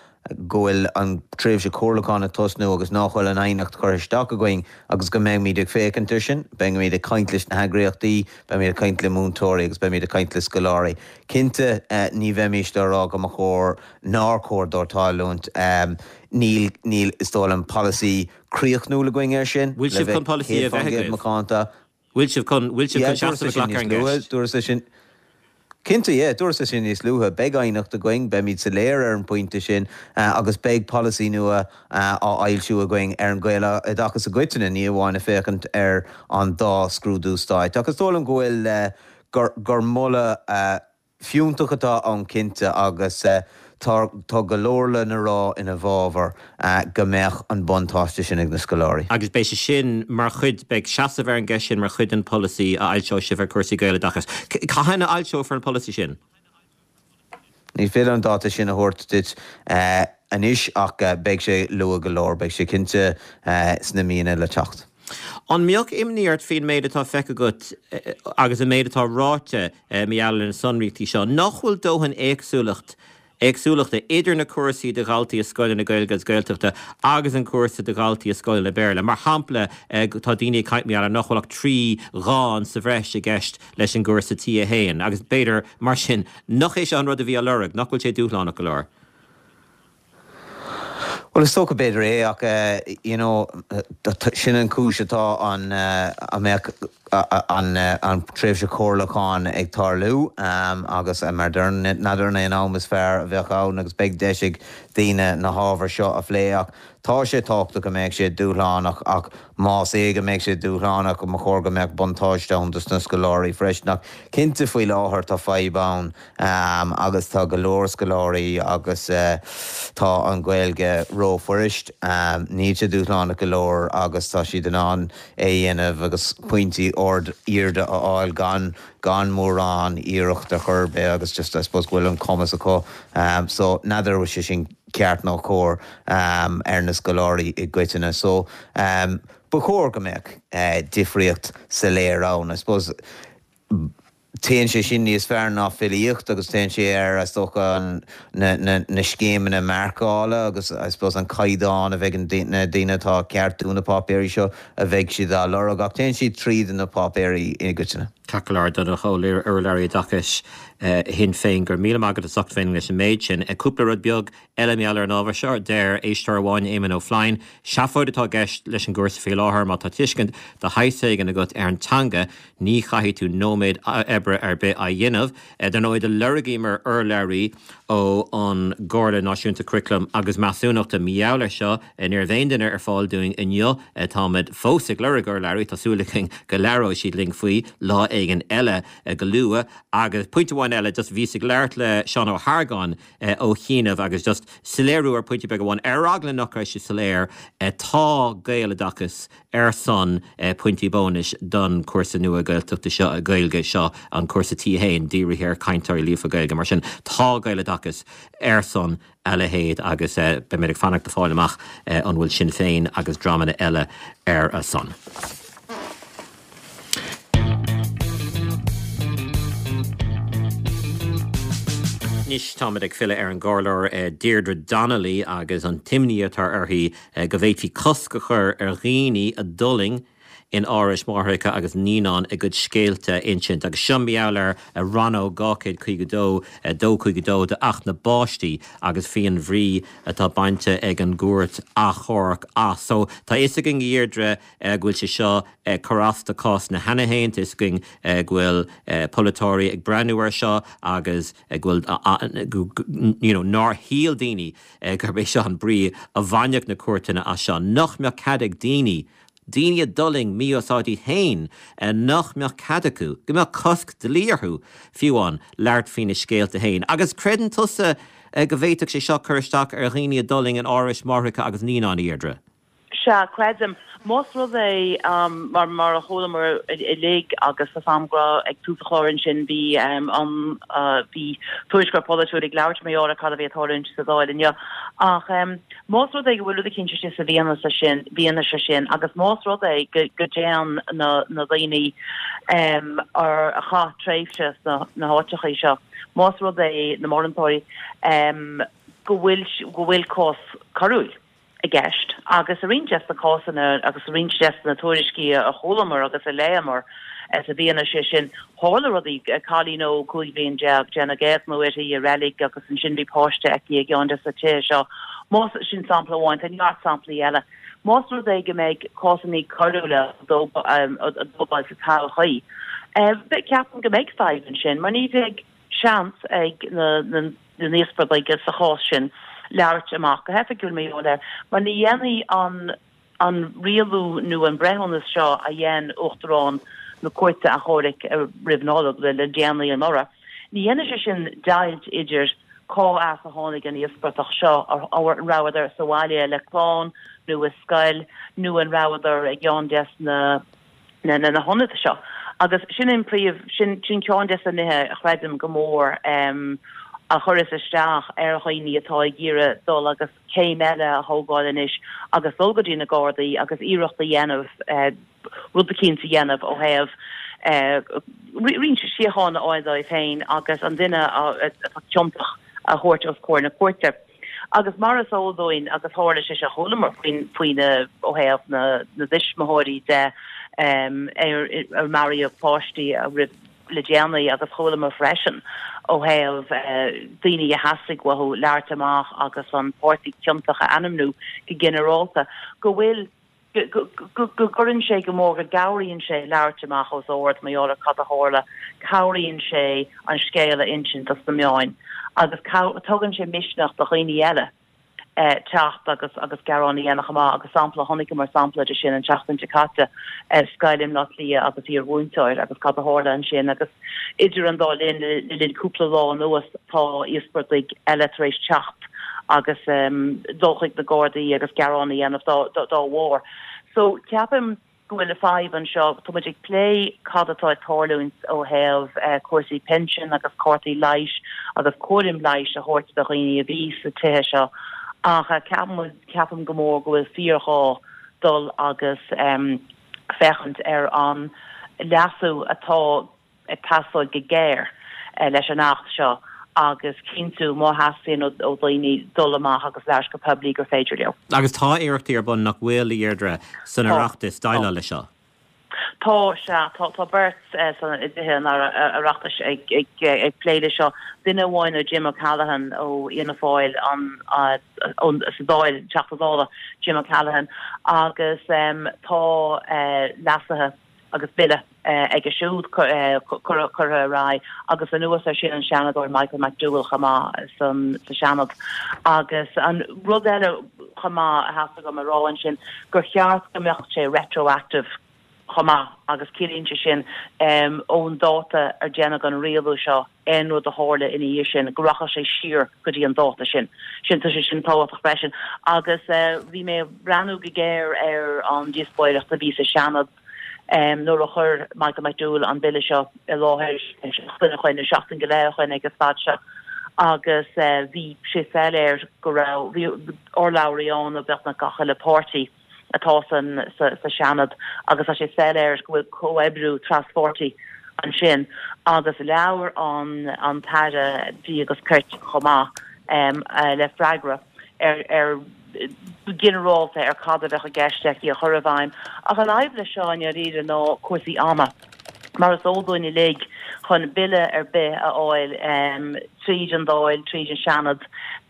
go bhfuil an tréimhse comhairliúcháin ag tosnú agus nach bhfuil an aighneacht curtha isteach againn agus go mbeimid ag féachaint air sin. Beimid ag caint leis na heagraíochtaí, beimid ag caint le múinteoirí agus beimid ag caint le scoláirí. Cinnte, ní bheimís á rá go mba chóir, nár chóir dó tarlúint. Níl, níl, is dóigh liom, polasaí críochnúil againn air sin, Bhfuil le sibh bheith chun polasaí céad a faoin bheith gcéad agaibh? macánta. Bhfuil sibh chun, bhfuil sibh Yeah, chun dúras seasamh a é sin ghlacadh ar níos an luaithe, gceist? dúras é sin. Cinnte, yeah, dúras é sin níos luaithe. Beidh aighneacht againn, beimid soiléir ar an bpointe sin agus beidh polasaí nua á fhoilsiú againn ar an Ghaeloideachas i gcoitinne, ní amháin ag féachaint ar an dá scrúdú stáit. Ach is dóigh liom go bhfuil, gur, gur moladh fiúntach atá ann cinnte agus tá, tá go leor lena rá ina bhfabhar go mbeadh an buntáiste sin ag na scoláirí. Agus beidh sé sin mar chuid, beidh seasamh ar an gceist sin mar chuid den pholasaí a fhoilseoidh sibh ar chúrsaí Gaeloideachais. Cathain a fhoilseofar an polasaí sin? Ní féidir an dáta sin a thabhairt duit anois ach beidh sé luath go leor, beidh sé cinnte sna míonna le teacht. An mbeadh imní ort faoin méid atá feicthe agat agus an méid atá ráite mar gheall ar na sonraíochtaí seo, nach bhfuil dóthain éagsúlacht éagsúlachta idir na cúrsaí do dhaltaí i scoileanna Gaeilge agus Gaeltachta agus an cúrsa do dhaltaí i scoileanna Béarla? Mar shampla, tá daoine ag caint mar gheall ar nach bhfuil ach trí dhán sa bhreis i gceist leis an gcúrsa T a haon agus b'fhéidir, mar sin, nach é seo an rud a bhí á lorg, nach bhfuil sé dúshlánach go leor? Well is dócha b'fhéidir é ach uh, you know, sin an chúis atá an uh, a mbeadh an, uh, an tréimhse comhairliúcháin ag tarlú um, agus uh, mar n'fheadar an am is fearr a bheadh ann agus beidh deis ag daoine na hábhair seo a phlé ach tá sé tábhachtach go mbeidh sé dúshlánach ach más é go mbeidh sé dúshlánach go mba chóir go mbeadh buntáiste ann dos na scoláirí freisin ach cinnte faoi láthair tá fadhb ann um, agus tá go leor scoláirí agus uh, tá an Ghaeilge rófhuirist um, níl sé dúshlánach go leor agus tá siad in ann é dhéanamh agus pointí ard arda a fháil gan gan mórán iarracht a chur be agus just I suppose bhfuil an cumas acu um, so n'fheadar sé sin ceart nó cóir um, ar na scoláirí i gcoitinne so um, ba chóir go mbeadh uh, difríocht soiléir ann I suppose Téann sé sin níos fearr ná filíocht agus téann sé ar is dócha na, na, na scéimeanna marcála agus I suppose an caighdeán a bheidh na daoine atá ag ceartú na páipéirí seo a bheidh siad á lorg ach téann siad tríd na páipéirí i gcoitinne. Ceart go leor urlabhraí oideachais Shinn Féin go raibh míle maith agat as ucht bheith leis an méid sin. Cúpla rud beag eile mar gheall ar an ábhar seo deir éisteoir amháin Éamon Ó Floinn, Seafóid atá i gceist leis an gcúrsa faoi láthair má tá tuiscint de shaghas éigin agat ar an teanga ní chaithfidh tú nóiméad oibre ar bith a dhéanamh. Dar ndóigh do lorgaíomar urlabhraí ó an gComhairle Náisiúnta Curaclaim agus Measúnachta mar gheall air seo ní raibh aon duine ar fáil dúinn inniu táimid fós ag lorg urlabhraí tá súil againn go labhróidh siad linn faoi lá éigin eile go luath agus pointe amháin eile just bhíos ag labhairt le Seán Ó hArgáin ó chianaibh agus just soiléiriú ar pointe beag amháin ar eagla nach raibh sé soiléir tá Gaeloideachas ar son pointí bónais don cúrsa nua Gaeltachta seo Gaeilge seo an cúrsa T haon dírithe ar cainteoirí líofa Gaeilge mar sin tá Gaeloideachas ar son a leithéid agus beimid ag fanacht le fáil amach an bhfuil Sinn Féin agus dreamanna eile ar a son. Anois táimid ag filleadh ar an gcomhairleoir Deirdre Donnelly agus an t-imní atá uirthi go bhféadfaí cosc a chur ar dhaoine a d'fhulaing in árais máithreacha agus naíonán a gcuid scéalta a insint agus seo mar gheall ar a rannóg dhá chéad caoga dó dó cúig dó d'Acht na bPáistí agus faoin bhrí atá bainte ag an gcúirt achomhairc as. So tá fhios againn a Dheirdre go bhfuil sé seo ag cur as do cásanna cheana féin, tá fhios againn go bhfuil polaiteoirí ag breathnú air seo agus go bhfuil you know, nár shíl daoine gurb é seo an brí a bhainfeadh na cúirteanna as seo. Nach mbeadh cead ag daoine daoine a d'fhulaing mí-úsáid iad féin nach mbeadh cead acu, go mbeadh cosc dlí orthu fiú amháin labhairt faoina scéalta féin. Agus creideann tusa go bhféadfadh sé seo cur isteach ar dhaoine a d'fhulaing in árais máithreacha agus naíonán, a Dheirdre? Sea, creidim. Más rud é mar mar a chualamar uilig agus tá a fhios agam go raibh ag tús an chláir ansin bhí an bhí tuairisceoir polaitiúil ag labhairt mar gheall ar cad a bhí ag tarlúint sa Dáil inniu. Ach más rud é go bhfuil rud eicínt istigh sa bhfianaise sin, bhfianaise sin agus más rud é go go dtéann na na daoine ar a chaith tréimhse sna na háiteachaí seo, más rud é na morantóirí go bhfuil go bhfuil cás coiriúil. i gceist agus i roinnt des na cásanna agus i roinnt des na tuairiscí a chualamar agus a léamar sa bhfianaise sin, tharla rudaí, cailín óg cúig bhliain déag, déanadh éigniú uirthi i reilig agus ansin bhí páiste aici i gceann des na tithe seo. Más, sin sampla amháin, tá neart samplaí eile. Más rud é go mbeidh cásanna coiriúla á dtógáil sa todhchaí, ceapaim go mbeidh fadhb ansin mar ní bheidh seans ag na na n-íospartaigh sa chás sin labhairt amach go hoifigiúil mar gheall air, mar ní dhéanfaidh an an rialú nó an breithiúnas seo a dhein Uachtarán na Cúirte Achomhairc roimh Nollaig le déanaí anuraidh, ní dhéanfaidh sé sin deighilt idir cá as a tháinig an íospartach seo, an rabhadar sa bhaile le clann nó i scoil nó an rabhadar i gceann des na na na hionaid seo. Agus sin an príomh, sin sin ceann des na nithe a chreidim go mór a chuireas isteach ar dhaoine atá ag iarraidh dul agus céim eile a thógáil anois agus dul go dtí na Gardaí agus iarracht a dhéanamh rud eicínt a dhéanamh ó thaobh roinnt síochána a fháil dóibh féin agus an duine atá ciontach a thabhairt os comhair na cúirte. Agus mar is eol dúinn, agus tharla sé seo, chualamar faoin, faoina, ó thaobh na, na dtuismitheoirí de, ar, ar maraíodh páistí roimh le déanaí agus chualamar freisin ó thaobh daoine a theastaigh uathu labhairt amach agus an páirtí ciontach a ainmniú go ginearálta, go bhfuil go gcuireann sé go mór, go gcabhraíonn sé labhairt amach os ard mar gheall ar cad a tharla, cabhraíonn sé an scéal a insint dos na meáin agus tugann sé misneach do dhaoine eile. teacht agus agus gearán a dhéanamh chomh maith agus sampla, chonaiceamar sampla de sin an tseachtain seo caite, scoil i mBleá Cliath agus iarmhúinteoir agus cad a tharla ansin agus idir an dá linn, le linn cúpla lá anuas tá íospartaigh eile tar éis teacht agus dul chuig na Gardaí agus gearán a dhéanamh dá dá bharr. So ceapaim go bhfuil fadhb anseo. Tá muid ag plé cad atá ag tarlúint ó thaobh cúrsaí pinsin agus cártaí leighis agus cúram leighis a thabhairt do dhaoine a bhí sa tithe seo ach ceapaim, ceapaim go mór go bhfuil fíorghá dul agus féachaint ar an leasú atá ag teastáil go géar leis an Acht seo agus cinntiú má theastaíonn ó dhaoine dul amach agus labhairt go poiblí gur féidir leo. Agus tá iarrachtaí ar bun, nach bhfuil, a Dheirdre, san Oireachtas déileáil leis seo? Tá, sea. Tá, tá beirt san i dTithe an Oireachtais ag, ag, ag plé leis seo. Duine amháin ó Jim O'Callaghan ó Fhianna Fáil an, ón, sa Dáil, Teachta Dála Jim O'Callaghan agus tá leasuithe agus bille aige siúd curtha ar aghaidh agus anuas air sin an Seanadóir Michael McDowell chomh maith san sa Seanad. Agus an rud eile chomh maith a theastaigh uaim a rá ansin gur cheart go mbeadh sé retroactive chomh maith agus ciallaíonn sé sin ón dáta ar déanadh an rialú seo aon rud a tharla ina dhiaidh sin go rachadh sé siar go dtí an dáta sin. Sin tá sé sin tábhachtach freisin. Agus bhí mé ag breathnú go géar ar an díospóireacht a bhí sa Seanad nuair a chuir Michael McDowell an bille seo i láthair seachtain ó shin, nó seachtain go leith ó shin ag an staid seo agus bhí sé soiléir go raibh, bhí urlabhraí ann ó beagnach gach uile páirtí atá san sa Seanad agus tá sé soiléir go bhfuil comhoibriú traspháirtí ansin agus labhair an an tAire Dlí agus Cirt chomh maith le freagra ar ar ginearálta ar cad a bheadh i gceist aici a chur i bhfeidhm. Ach an fhadhb leis seo i ndáiríre ná cúrsaí ama. Mar is eol dúinn uilig, chun bille ar bith a fháil tríd an Dáil, tríd an Seanad,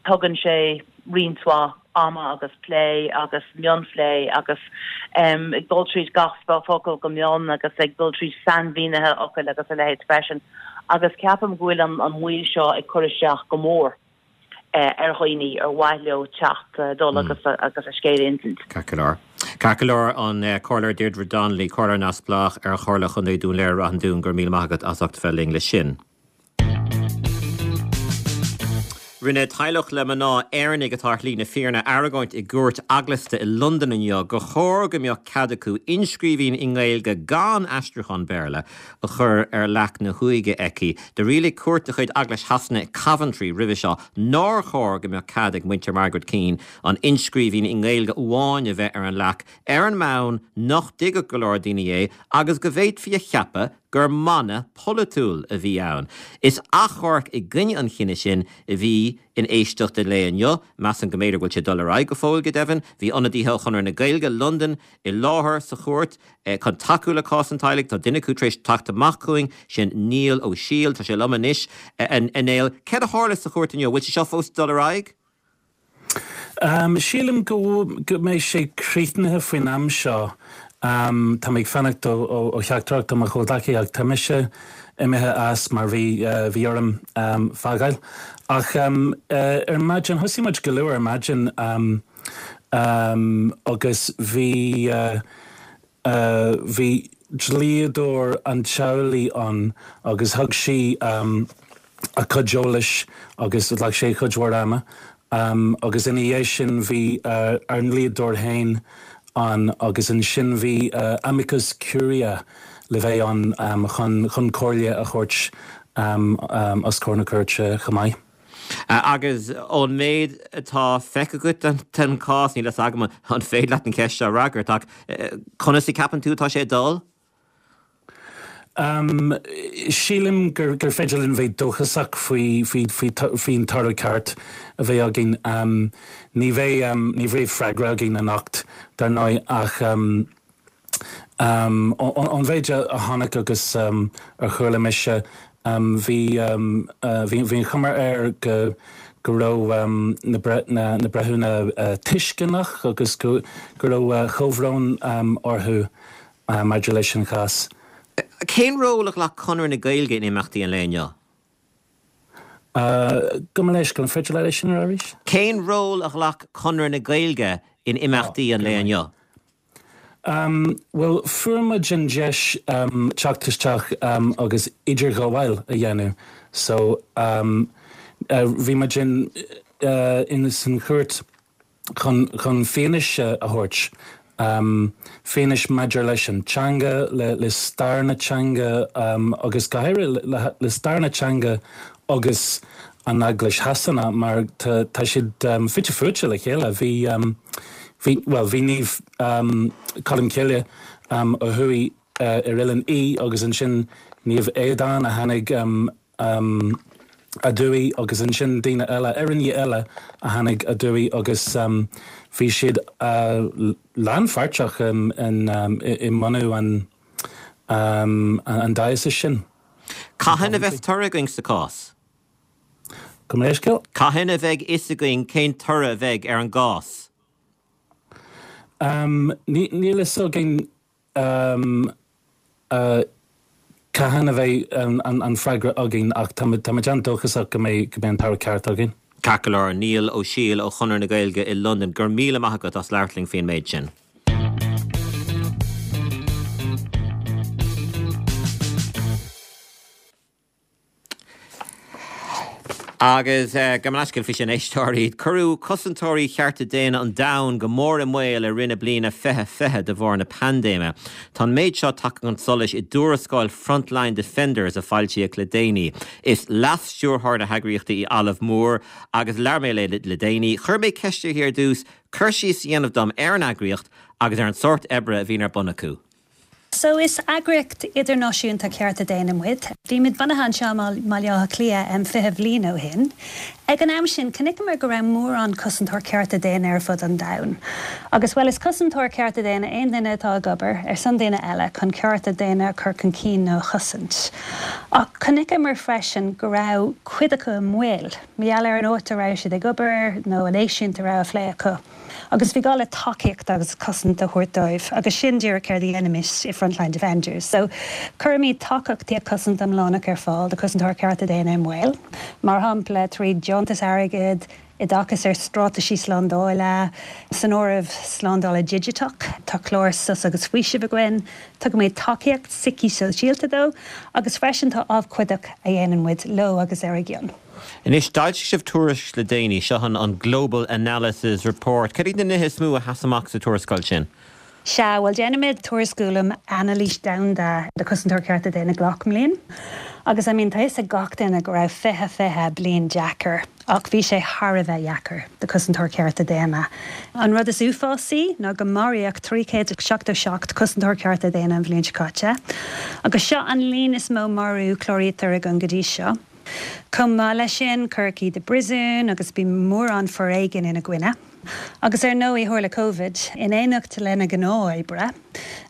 tugann sé roinnt mhaith ama agus plé agus mionphlé agus ag dul tríd gach focal go mion agus ag dul tríd sainmhínithe fhocail agus a leithéid freisin. Agus ceapaim go bhfuil an mhoill seo ag cur isteach go mór ar dhaoine ar mhaith leo teacht, dul agus agus a scéal a insint. Ceart go leor. Ceart go leor, an Comhairleoir Deirdre Donnelly, Comhairleoir Neamhspleách ar Chomhairle Chontae Dún Laoghaire Ráth an Dúin, go raibh míle maith agat as ucht bheith linn leis sin. Rinne teaghlach le mná Éireannaigh atá ar shlí na fírinne argóint i gcúirt eaglasta i Londain inniu gur chóir go mbeadh cead acu inscríbhinn i nGaeilge gan aistriúchán Béarla a chur ar leac na huaighe aici. Do rialaigh cúirt de chuid Eaglais Shasana i Coventry roimhe seo nár chóir go mbeadh cead ag muintir Margaret Keane an inscríbhinn i nGaeilge amháin a bheith ar an leac ar an mbonn nach dtuigfeadh go leor daoine é agus go bhféadfaí a cheapadh gur mana polaitiúil a bhí ann. Is achomharc i gcoinne an chinnidh sin a bhí in éisteacht an lae inniu. Measaim go mb'fhéidir go bhfuil sé ag dul ar aghaidh go fóill, go deimhin. Bhí ionadaithe ó Chonradh na Gaeilge, Londain, i láthair sa chúirt chun tacú le cás an teaghlaigh. Tá duine acu tar éis teacht amach chugainn, sin Niall Ó Siail. Tá sé liom anois. A Néill, céard a tharla sa chúirt inniu? Bhfuil sé seo fós ag dul ar aghaidh? Sílim go mbeidh sé críochnaithe faoin am seo. Tá mé ag fanacht ó theachtaireacht ó mo chomhghleacaí ach tá mise imithe as mar bhí bhí orm fágáil. Ach ar maidin, thosaigh muid go luath ar maidin agus bhí bhí dlíodóir an teaghlaigh ann agus thug sí a cuid eolais agus ghlac sé cuid mhór ama agus ina dhiaidh sin bhí ár ndlíodóir féin ann agus ansin bhí amicus curiae le bheith ann chun chun comhairle a thabhairt os comhair na cúirte chomh maith. Agus ón méid atá feicthe agat den chás, níl a fhios agam an féidir leat an cheist seo a fhreagairt ach conas a cheapann tú atá sé ag dul? Sílim gur féidir linn bheith dóchasach faoi faoin toradh ceart a bheidh againn. Ní bheidh ní bheidh freagra againn anocht, dar ndóigh, ach Ón mhéid a chonaic agus a chuala mise, bhí bhí an chuma air go go raibh na na breithiúna tuisceanach agus go go raibh comhbhrón orthu maidir leis an chás. Cén ról a ghlac Conradh na Gaeilge in imeachtaí an lae inniu? Gabh mo leithscéal, an féidir leat é sin a rá arís? Cén ról a ghlac Conradh na Gaeilge in imeachtaí an lae inniu? Bhuel, fuair muid an deis teacht isteach agus idirghabháil a dhéanamh. So bhí muid in in san chúirt chun chun fianaise a thabhairt, fianaise maidir leis an teanga, le le stair na teanga agus go háirithe le le stair na teanga agus an Eaglais Shasana mar tá tá siad fite fuaite le chéile. Bhí bhí bhuel bhí Naomh Colm Cille a chuaigh ar Oileán Í agus ansin Naomh Aodán a tháinig aduaidh agus ansin daoine eile, Éireannaigh eile a tháinig aduaidh agus bhí siad lánpháirteach i mbunú an an diocese sin. Cathain a bheas toradh againn sa cás? Gabh mo leithscéal? Cathain a bheidh fhios againn cén toradh a bheidh ar an gcás? Níl fhios againn cathain a bheidh an freagra againn ach táimid an-dóchasach go mbeidh an toradh ceart againn. Ceart go leor, Niall Ó Siail ó Chonradh na Gaeilge i Londain, go raibh míle maith agat as labhairt linn faoin méid sin. Agus gabh mo leithscéal faoi sin, éisteoirí, cuireadh cosantóirí chearta daonna an domhain go mór i mbaol i rith na bliana fiche fiche de bharr na paindéime. Tá an méid seo tagtha chun solais i dtuarascáil Frontline Defenders a foilsíodh le déanaí. Is leas-stiúrthóir na heagraíochta í Olive Moore agus labhair mé léi le déanaí. Chuir mé ceist uirthi ar dtús cur síos a dhéanamh dom ar an eagraíocht agus ar an sórt oibre a bhíonn ar bun acu. So is eagraíocht idirnáisiúnta cearta daonna muid. Bhí muid bunaithe anseo i mBaile Átha Cliath um fiche bhliain ó shin. Ag an am sin, chonaiceamar go raibh mórán cosantóir cearta daonna ar fud an domhain. Agus bhuel is cosantóir cearta daonna aon duine atá ag obair ar son daoine eile chun cearta daonna a chur chun cinn nó a chosaint. Ach chonaiceamar freisin go raibh cuid acu i mbaol, mar gheall ar an áit a raibh siad ag obair nó an eisiúint a raibh á phlé acu. Agus bhí gá le tacaíocht agus cosaint a thabhairt dóibh, agus sin díreach céard a dhéanaimid i Frontline Defenders. So cuirimid tacaíocht cosaint iomlánach ar fáil do chosantóir cearta daonna i mbaol, mar shampla trí deontas airgid, oideachas ar straitéisí slándála, san áireamh slándála digiteach, tá clár sos agus faoiseamh againn, tugaimid tacaíocht síceasóisialta dó, agus freisin tá abhcóideacht a dhéanann muid leo agus ar a gcion. Anois, d'fhoilsigh sibh tuairisc le déanaí, seo an Global Analysis Report. Cad iad na nithe is mó a sheas amach sa tuarascáil sin? Sea, bhuel déanaimid tuairisciú um anailís domhanda de chosantóir cearta daonna gach mbliain. Agus I mean tá fhios ag gach duine go raibh fiche fiche bliain deacair, ach bhí sé thar a bheith deacair do chosantóir cearta daonna. An rud is uafásaí ná go maraíodh trí chéad seachtó seacht cosantóir cearta daonna an bhliain seo caite. Agus seo an líon is mó marú cláraítear againn go dtí seo. Chomh maith leis sin, cuireadh iad i bpríosún agus bhí mórán foréigin ina gcoinne. Agus ar ndóigh tharla Covid, in éineacht lena ngnáthoibre,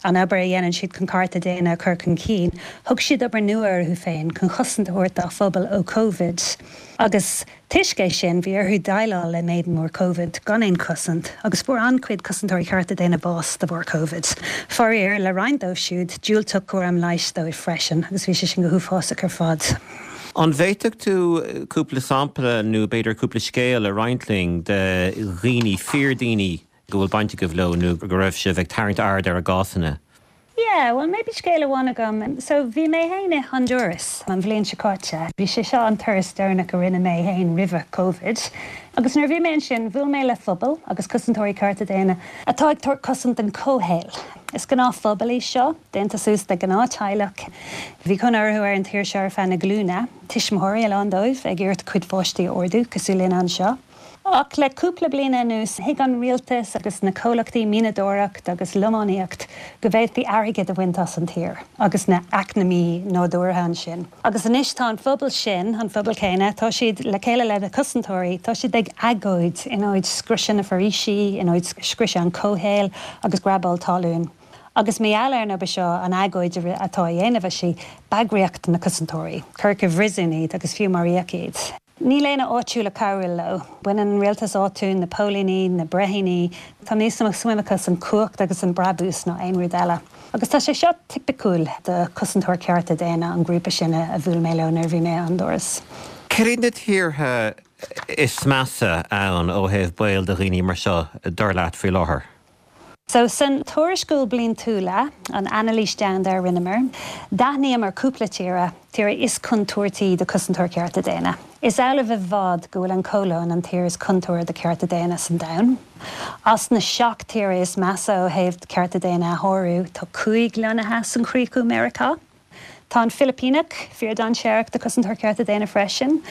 an obair a dhéanann siad chun cearta daonna a chur chun cinn, thug siad obair nua orthu féin chun chosaint a thabhairt dá phobal ó Covid. Agus toisc é sin bhí orthu déileáil le méid mór Covid gan aon chosaint, agus fuair an-chuid cosantóirí cearta daonna bás de bharr Covid. Faraor, le roinnt dóibh siúd, diúltaíodh cúram leighis dóibh freisin, agus bhí sé sin go huafásach ar fad. An bhféadfadh tú cúpla sampla nó b'fhéidir cúpla scéal a roinnt linn de dhaoine, fíordhaoine go bhfuil baint agaibh leo nó go raibh sibh ag tarraingt aird ar a gcásanna? Yeah, well maybe scéal amháin agam. So bhí mé féin i Honduras an bhliain seo caite. Bhí sé seo an turas deireanach a rinne mé féin roimhe Covid. Agus nuair a bhí mé ansin, bhuail mé le phobal agus cosantóirí cearta daonna atá ag tabhairt cosaint don chomhshaol. Is gnáthphobal í seo, déanta suas de ghnáth-teaghlach. Bhí cónaí orthu ar an tír seo ar feadh na glúine, tuismitheoirí a lán dóibh ag iarraidh cuid pháistí a ardú cosúil linn anseo. Ach le cúpla bliain anuas, thuig an rialtas agus na comhlachtaí mianadóireacht agus lománaíocht go bhféadfaí airgead a bhaint as an tír agus na acmhainní nádúrtha ansin. Agus anois tá an phobal sin, an phobal céanna, tá siad le chéile le na cosantóirí, tá siad ag agóid in aghaidh scriosadh na foraoisí, in aghaidh scriosadh an chomhshaoil agus grabáil talún. Agus mar gheall ar an obair seo, an agóid atá á dhéanamh aici, bagraíodh na cosantóirí, cuireadh i bpríosún iad agus fiú maraíodh iad. Níl éinne áitiúil ag cabhrú leo. Baineann an rialtas áitiúil, na póilíní, na breithiúna, tá níos mó suim acu san cumhacht agus an brabús ná aon rud eile. Agus tá sé seo tipiciúil do chosantóir cearta daonna an grúpa sin a bhuail mé leo nuair a bhí mé i Honduras. Céard iad na tíortha is measa ann ó thaobh baol do dhaoine mar seo, dar leat, faoi láthair? So san tuarascáil bliantúla, an anailís domhanda a rinneamar, d'aithníomar cúpla tíre, tíre is contúirtí do chosantóir cearta daonna. Is amhlaidh i bhfad go bhfuil an Cholóim an tír is contúirtí do cearta daonna san domhan. As na seacht tíre is measa ó thaobh cearta daonna a shárú, tá cúig lonnaithe san chríoch Meiriceá. Tá an Philipíneach fíordainséarach do chosantóir cearta daonna freisin.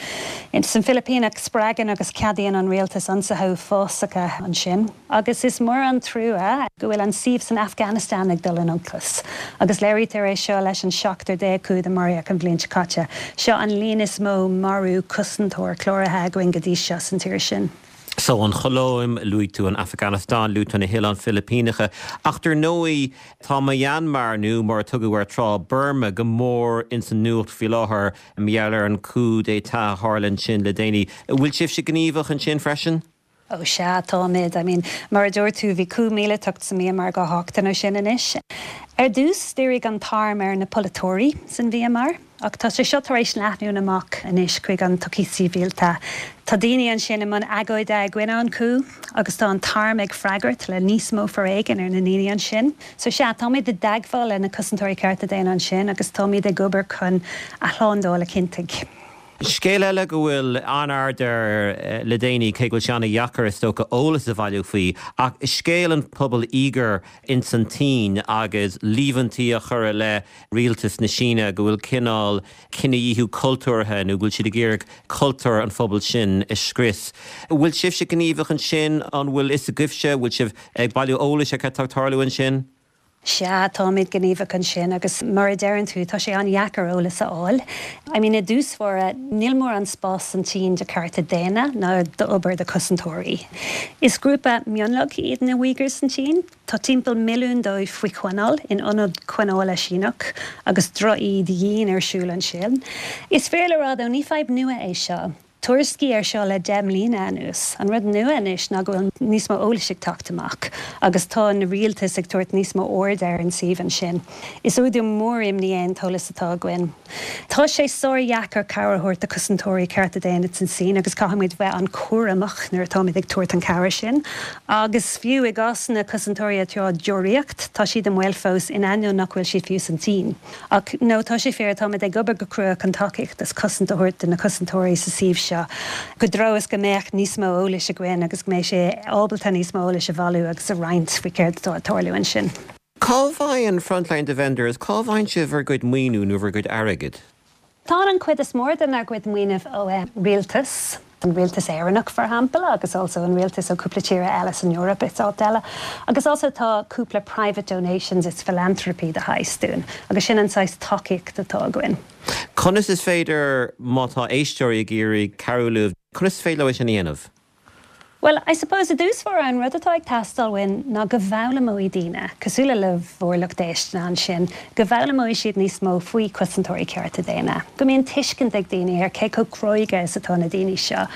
San Philipíneach spreagann agus ceadaíonn an rialtas ionsaithe uafásacha ansin. Agus is mór an trua go bhfuil an suíomh san Afghanistan ag dul in olcas. Agus léirítear é seo leis an seachtar déag coup a maraíodh an bhliain seo caite. Seo an líon is mó marú cosantóir cláraithe againn go dtí seo san tír sin. So an Cholóim, luaigh tú an Afghanistan, luaigh tú na hOileáin Philipíneacha, ach dar ndóigh tá Myanmar nó mar a tugadh air tráth Burma go mór ins an nuacht faoi láthair mar gheall ar an coup d'état a tharla ansin le déanaí. Bhfuil sibhse gníomhach ansin freisin? Ó sea, táimid. I mean, mar a dúirt tú, bhí coup míleatach sa Myanmar dhá sheachtain ó sin anois. Ar dtús, dhírigh an t-arm ar na polaiteoirí san Mhyanmar, ach tá sé seo tar éis leathnú amach anois chuig an tsochaí sibhialta. Tá daoine ansin i mbun agóide i gcoinne an coup agus tá an t-arm ag freagairt le níos mó foréigin ar na daoine ansin. So sea, táimid i dteagmháil le na cosantóirí cearta daonna ansin agus táimid ag obair chun a shlándáil a chinntiú. Scéal eile go bhfuil an-aird air le déanaí, cé go bhfuil sé an-dheacair is dócha eolas a bhailiú faoi, ach scéal an pobal Uighur ins an tSín agus líomhaintí a chur i leith rialtas na Síne go bhfuil cineál cinedhíothú cultúrtha nó go bhfuil siad ag iarraidh cultúr an phobail sin a scrios. Bhfuil sibhse gníomhach ansin, an bhfuil fhios agaibhse, bhfuil sibh ag bailiú eolais ar cad tá ag tarlú ansin? Sea, táimid gníomhach ansin agus mar a deireann tú, tá sé an-dheacair eolas a fháil. I mean, i dtús báire, níl mórán spás san tSín do cearta daonna ná d'obair do chosantóirí. Is grúpa mionlaigh iad na Uyghurs san tSín. Tá timpeall milliún dóibh faoi choinneáil in ionad coinneála Síneach agus drochíde dhian ar siúl ansin. Is fíor le rá though, ní fadhb nua é seo. Tuairiscí air seo le deich mbliana anuas. An rud nua anois ná go bhfuil níos mó eolais ag teacht amach agus tá na rialtais ag tabhairt níos mó aird ar an suíomh ansin. Is údar mór imní é an t-eolas atá againn. Tá sé sár-dheacair cabhair a thabhairt do chosantóirí cearta daonna san tSín agus caithfimid bheith an-chúramach nuair atáimid ag tabhairt an cabhair sin. Agus fiú i gcás na cosantóirí atá á deoraíocht, tá siad i mbaol fós in ainneoin nach bhfuil siad fiú san tSín. Ach no, tá sé fíor, táimid ag obair go crua chun tacaíocht is cosaint a thabhairt do na cosantóirí sa suíomh seo. Go dtí is go mbeadh níos mó eolais againn agus go mbeidh sé ábalta níos mó eolais a bhailiú agus a roinnt faoi céard atá ag tarlú ansin. Cá bhfaigheann Frontline Defenders, cá bhfaigheann sibh bhur gcuid maoiniú nó bhur gcuid airgid? Tá an chuid is mó denár gcuid maoinithe ó rialtas, an rialtas Éireannach for example, agus also an rialtas ó cúpla tíre eile san Eoraip is áit eile. Agus also tá cúpla private donations is philanthropy de shaghas dúinn, agus sin an saghas tacaíocht atá againn. Conas is féidir má tá éisteoirí ag iarraidh cabhrú libh, conas is féidir leo é sin a dhéanamh? Well, I suppose i dtús báire an rud atá ag teastáil uainn ná go bhfoghlaimeoidh daoine, cosúil le bhur lucht éisteachta ansin, go bhfoghlaimeoidh siad níos mó faoi chosantóirí cearta daonna. Go mbíonn tuiscint ag daoine ar cé chomh cróga is atá na daoine seo.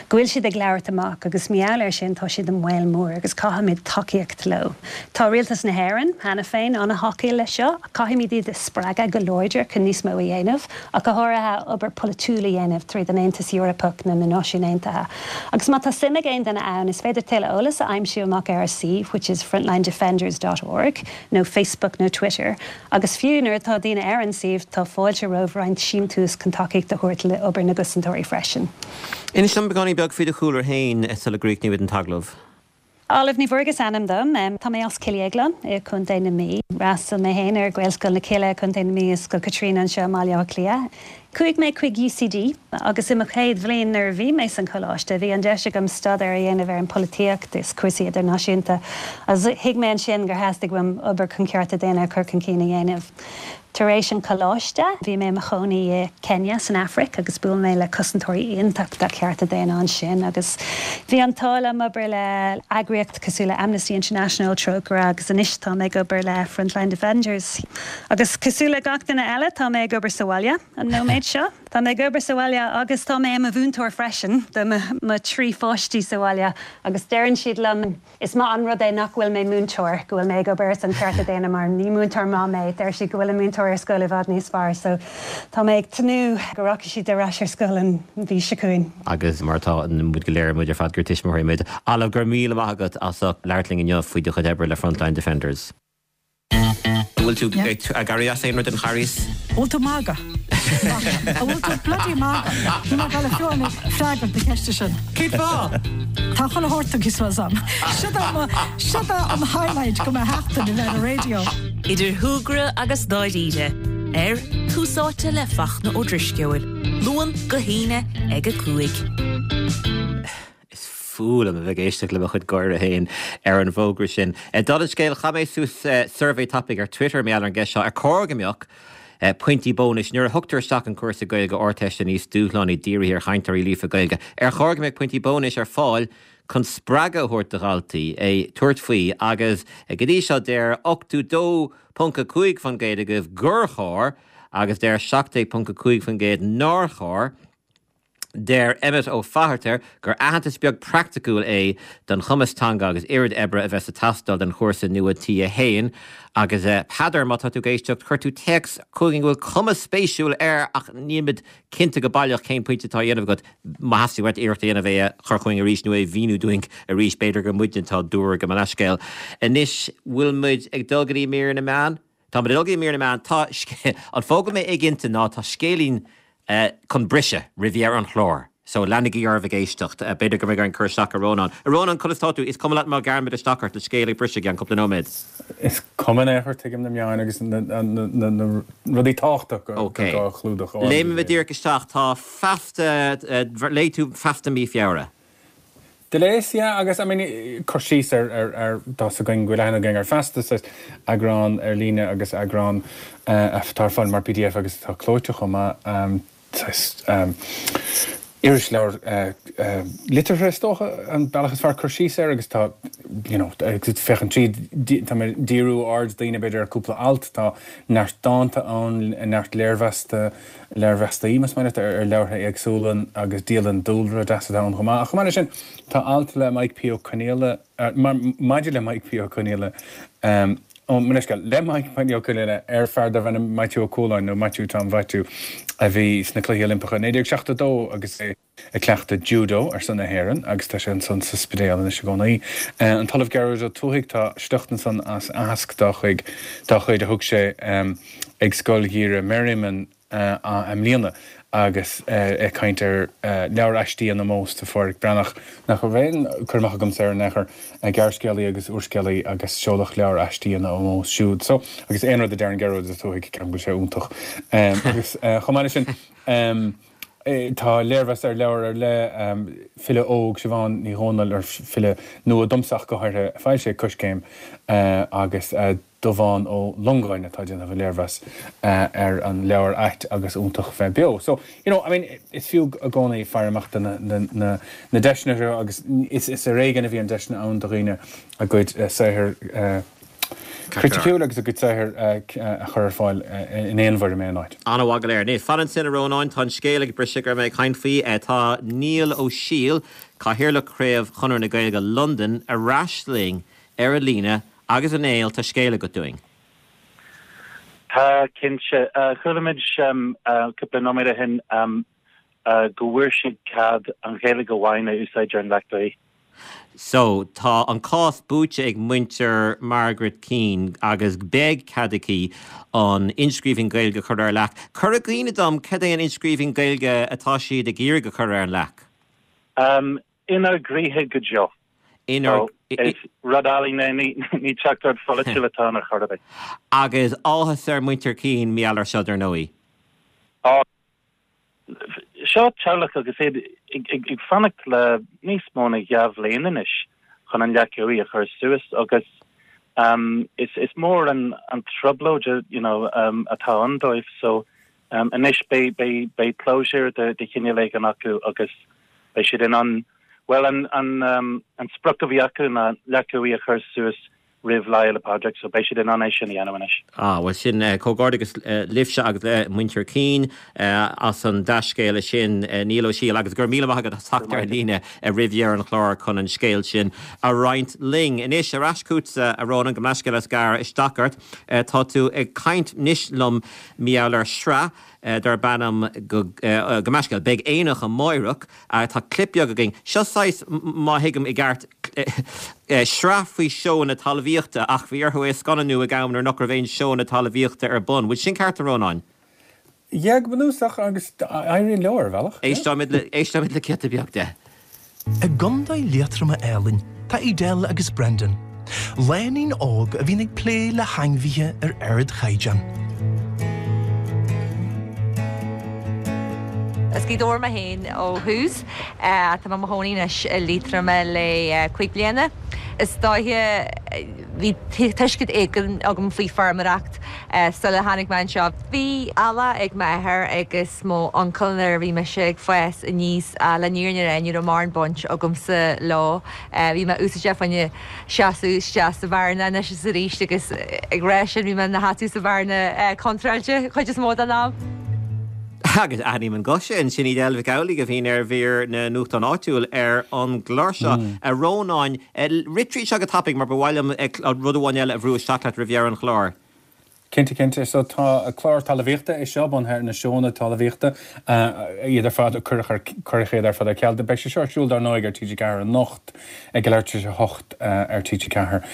Go bhfuil siad ag labhairt amach agus mar gheall air sin tá siad i mbaol mór agus caithfimid tacaíocht leo. Tá rialtas na hÉireann cheana féin an-tacúil leis seo, caithfimid iad a spreagadh go láidir chun níos mó a dhéanamh, ach go háirithe obair polaitiúil a dhéanamh tríd an Aontas Eorpach nó na Náisiúin Aontaithe. Agus má tá suim ag aon duine ann, is féidir tuilleadh eolas a aimsiú amach ar suíomh, which is frontlinedefenders dot org, nó Facebook nó Twitter. Agus fiú nuair atá daoine ar an suíomh, tá fáilte roimh roinnt síntiús chun tacaíocht a thabhairt le obair na gcosantóirí freisin. Inis dom beagáinín beag faoi do chúlra féin sula gcríochnóimid an t-agallamh. Olive Ní Mhuirghe is ainm dom. Tá mé as Cill Dhéagláin i Contae na Mí. D'fhreastail mé féin ar Ghaelscoil na Cille i Contae na Mí is Scoil Caitríona anseo i mBaile Átha Cliath. Chuaigh mé chuig U C D agus i mo chéad bhliain nuair a bhí mé san choláiste, bhí an deis agam staidéar a dhéanamh ar an polaitíocht is cúrsaí idirnáisiúnta. Agus thuig mé ansin gur theastaigh uaim obair chun cearta daonna a chur chun cinn a dhéanamh. Tar éis an choláiste, bhí mé i mo chónaí i Kenya san Afraic agus bhuail mé le cosantóirí iontach de chearta daonna ansin agus bhí an t-ádh liom obair le eagraíocht cosúil le Amnesty International, Trócaire agus anois tá mé ag obair le Frontline Defenders. Agus cosúil le gach duine eile tá mé ag obair sa bhaile an nóiméad seo. Tá mé ag obair sa bhaile agus tá mé i mo mhúinteoir freisin do mo trí pháistí sa bhaile agus deireann siad liom is maith an rud é nach bhfuil mé múinteoir, go bhfuil mé ag obair ar son cearta daonna mar ní múinteoir maith mé, deir siad go bhfuil an múinteoir ar scoil i bhfad níos fearr, so tá mé ag tnúth go rachaidh siad ar ais ar scoil an mhí seo chugainn. Agus mar atá muid go léir muid ar fad gur tuismitheoirí muid. Olive, go raibh míle maith agat as ucht labhairt linn inniu faoi do chuid oibre le Frontline Defenders. An bhfuil tú ag éirí as aon rud den Charghas? Bhfuil tú magadh? An bhfuil tú bloody magadh? Ní mar le fiú freagairt na ceiste sin. Cén fáth? Tá chuile shórt ag am. Seo an highlight go mba sheachtain a bheith ar radio. Idir shúgradh agus dáiríre ar Tús Áite le Fachtna Ó Drisceoil, Luan go hAoine ag a cúig. Is fuath liom a bheith ag éisteacht le mo chuid gáire féin ar an bhfógra sin. Dála an scéil chaith mé suas suirbhé tapaidh ar Twitter mé ar an gceist seo ar chóir go mbeadh pointí bónais nuair a thugtar isteach an cúrsa Gaeilge Ardteiste níos dúshlánaí dírithe ar chainteoirí líofa Gaeilge. Ar chóir go mbeadh pointí bónais ar fáil chun spreagadh a thabhairt do dhaltaí é tabhairt faoi agus go dtí seo deir ochtó dó ponc a cúig faoin gcéad agaibh gur chóir agus deir seacht déag ponc a cúig faoin gcéad nár chóir. Deir Emmet Ó Fatharta gur aitheantas beag praiticiúil é don chumas teanga agus oiread oibre a bheas ag teastáil don chúrsa nua T a haon. Agus Peadar, má tá tú ag éisteacht, chuir tú téacs chugainn go bhfuil cuma spéisiúil air ach nílimid cinnte go baileach cén pointe atá á dhéanamh agat. Má theastaíonn uait iarracht a dhéanamh é a chur chugainn arís nó é a mhíniú dúinn arís, b'fhéidir gur muidne atá dúr go mo leithscéal. Anois, bhfuil muid ag dul go dtí mír na meán? Tá muid ag dul go dtí mír na meán. Tá an fáth go bhfuil mé éiginnte ná tá scéilín chun briseadh roimh dheireadh an chláir. So leanaigí oraibh ag éisteacht. B'fhéidir go mbeidh orainn cur isteach ar Rónán. A Rónán, conas tá tú? Is cuma leat má ghearraimid isteach ort le scéal ag briseadh i gceann cúpla nóiméad. Is cuma in aon chor, tuigim na meáin agus na rudaí tábhachtacha gur gá a chlúdach. Léimimid díreach isteach. Tá Feasta, léigh tú Feasta mí Feabhra. Do léas, yeah, agus I mean, cur síos ar, ar, ar, tá 's againn go bhfuil aithne againn ar Feasta, saghas eagrán ar líne agus eagrán atá ar fáil mar pdf agus atá clóite chomh maith, saghas irisleabhar liteartha is dócha an bealach is fearr cur síos air agus tá, you know, féachaint tríd, tá mé ag díriú aird daoine b'fhéidir ar cúpla alt, tá neart dánta ann, neart léirmheasta, léirmheastaí más maith leat ar leabhartha éagsúla agus dialann dúlra deas atá ann chomh maith. Ach chomh maith leis sin tá alt le Mike P. Ó Conghaile, maidir le Mike P. Ó Conghaile, ó mo leithscéal, le Mike P. Ó Conghaile ar fear darbh ainm Maitiú Ó Cualáin nó Maitiú Tom Mhaitiú a bhí sna Cluichí Oilimpeacha naoi déag seachtó dó agus é ag cleachtadh judo ar son na hÉireann agus tá sé ansan sa Spidéal anois i gcónaí. An tOllamh Gearóid Ó Tuathaigh, tá sliocht ansan as aitheasc dá chuid dá chuid a thug sé ag Scoil Gheimhridh Merriman i mbliana agus é ag caint ar leabhar aistí in ómós do Phádhraic Breathnach, nach raibh aon cur amach agamsa air in aon chor, gearrscéalaí agus úrscéalaí agus seoladh leabhar aistí ina ómós siúd. So, agus aon rud a deireann Gearóid Ó Tuathaigh, ceapaim go bhfuil sé iontach. Agus chomh maith leis sin, tá léirmheas ar leabhar ar leith, file óg, Siobhán Ní Dhomhnaill, ar file nua domsa ach go háirithe, foilsithe ag Coiscéim agus Dubhán Ó Longáin atá ag déanamh an léirmheas ar an leabhar ait agus iontach bheith beo. So, you know, I mean, is fiú i gcónaí faire amach do na, na, na deiseanna seo agus is, is ar éigean a bhíonn deiseanna ann do dhaoine a gcuid saothair criticiúil agus a gcuid saothair a chur ar fáil in aon bhfoirm aon áit. An-mhaith go léir. Anois, fan ansin a Rónáin, tá an scéal ag briseadh go raibh mé ag caint faoi. Tá Niall Ó Siadhail, Cathaoirleach Chraobh Chonradh na Gaeilge Londain, ar ais linn ar an líne Agus a Néill, tá scéal agat dúinn. Tá, cinnte. Chuala muid cúpla nóiméad ó shin go bhfuair siad cead an Ghaeilge amháin a úsáid ar an leac uaighe. So, tá an cás buaite ag muintir Margaret Keane agus beidh cead aici an inscríbhinn Gaeilge a chur ar an leac. Cuir i gcuimhne dom cad é an inscríbhinn Gaeilge atá siad ag iarraidh a chur ar an leac? Inár gcroíthe go deo. Inár. Is rud ealaíne é, ní teachtaireacht pholaitiúil atá ann ar chor ar bith. Agus áthas ar mhuintir Keane mar gheall air seo, dar ndóigh. Á, seo teaghlach agus iad ag fanacht le níos mó ná dhá bhliain anois chun an leac uaighe a chur suas agus Um, is is mór an an trioblóid you know um, atá ann dóibh so um, anois beidh beidh beidh closure de de chineál éigin acu agus beidh siad in ann well an an um, an sprioc a bhí acu ná leath a chur suas roimh Lá Fhéile Pádraig so beidh siad in ann é sin a dhéanamh anois. Ah, well sin uh, comhghairdeas uh, libhse agus le muintir Keane uh, as an dea-scéala sin uh, Niall Ó Siadhail agus gur míle maith agat teacht ar líne uh, roimh dheireadh an chláir chun an scéal sin a roinnt linn. Anois ar ais chugatsa a Rónáin gabh mo leithscéal as gearradh isteach ort uh, tá tú ag caint anois liom maidir le sraith uh, darb ainm go uh, gabh mo leithscéal beidh aonach amárach uh, tá clip beag againn. Seo saghas má thuigim i gceart uh, sraith faoi seónna talmhaíochta ach bhí orthu é scannánú ag am nuair nach raibh aon seónna talmhaíochta ar bun. Bhfuil sin ceart a Rónáin? Yeah, go bunúsach agus éiríonn leo ar bhealach. Éisteoimid le éisteoimid le giota beag de. I gContae Liatroma álainn tá Edel agus Brendan. Lánúin óg a bhíonn ag plé le hainmhithe ar ardchaighdeán. As Gaoth Dobhair mé féin ó thús tá mé i mo chónaí anois i Liatroim le cúig bliana. Is dóiche bhí tuiscint éigin agam faoi feirmeoireacht sula tháinig mé anseo. Bhí eallach ag m'athair agus mo uncail nuair a bhí mise ag fás aníos le fírinne a rá ní raibh mórán baint agamsa leo. Bhí mé úsáideach fá choinne seasamh isteach sa bhearna anois is arís agus ag rá sin bhí mé ina sheasamh sa bhearna contráilte chuid is mó den am. Agus aithním an guth sin sin Edel Mhic Amhlaigh a bhíonn ar mhír na nuachtán áitiúil ar an gclár seo a Rónáin rith tríd seo go tapaidh mar ba mhaith liom rud amháin eile a bhrú isteach leat roimh dheireadh an chláir. Cinnte cinnte so tá clár talmhaíochta é seo bunaithe ar na seónna talmhaíochta iad ar fad cuireadh iad ar fad ar ceal. Beidh sé seo ar siúl dar ndóigh ar TG Ceathair anocht ag leathuair tar éis a hocht ar TG Ceathair.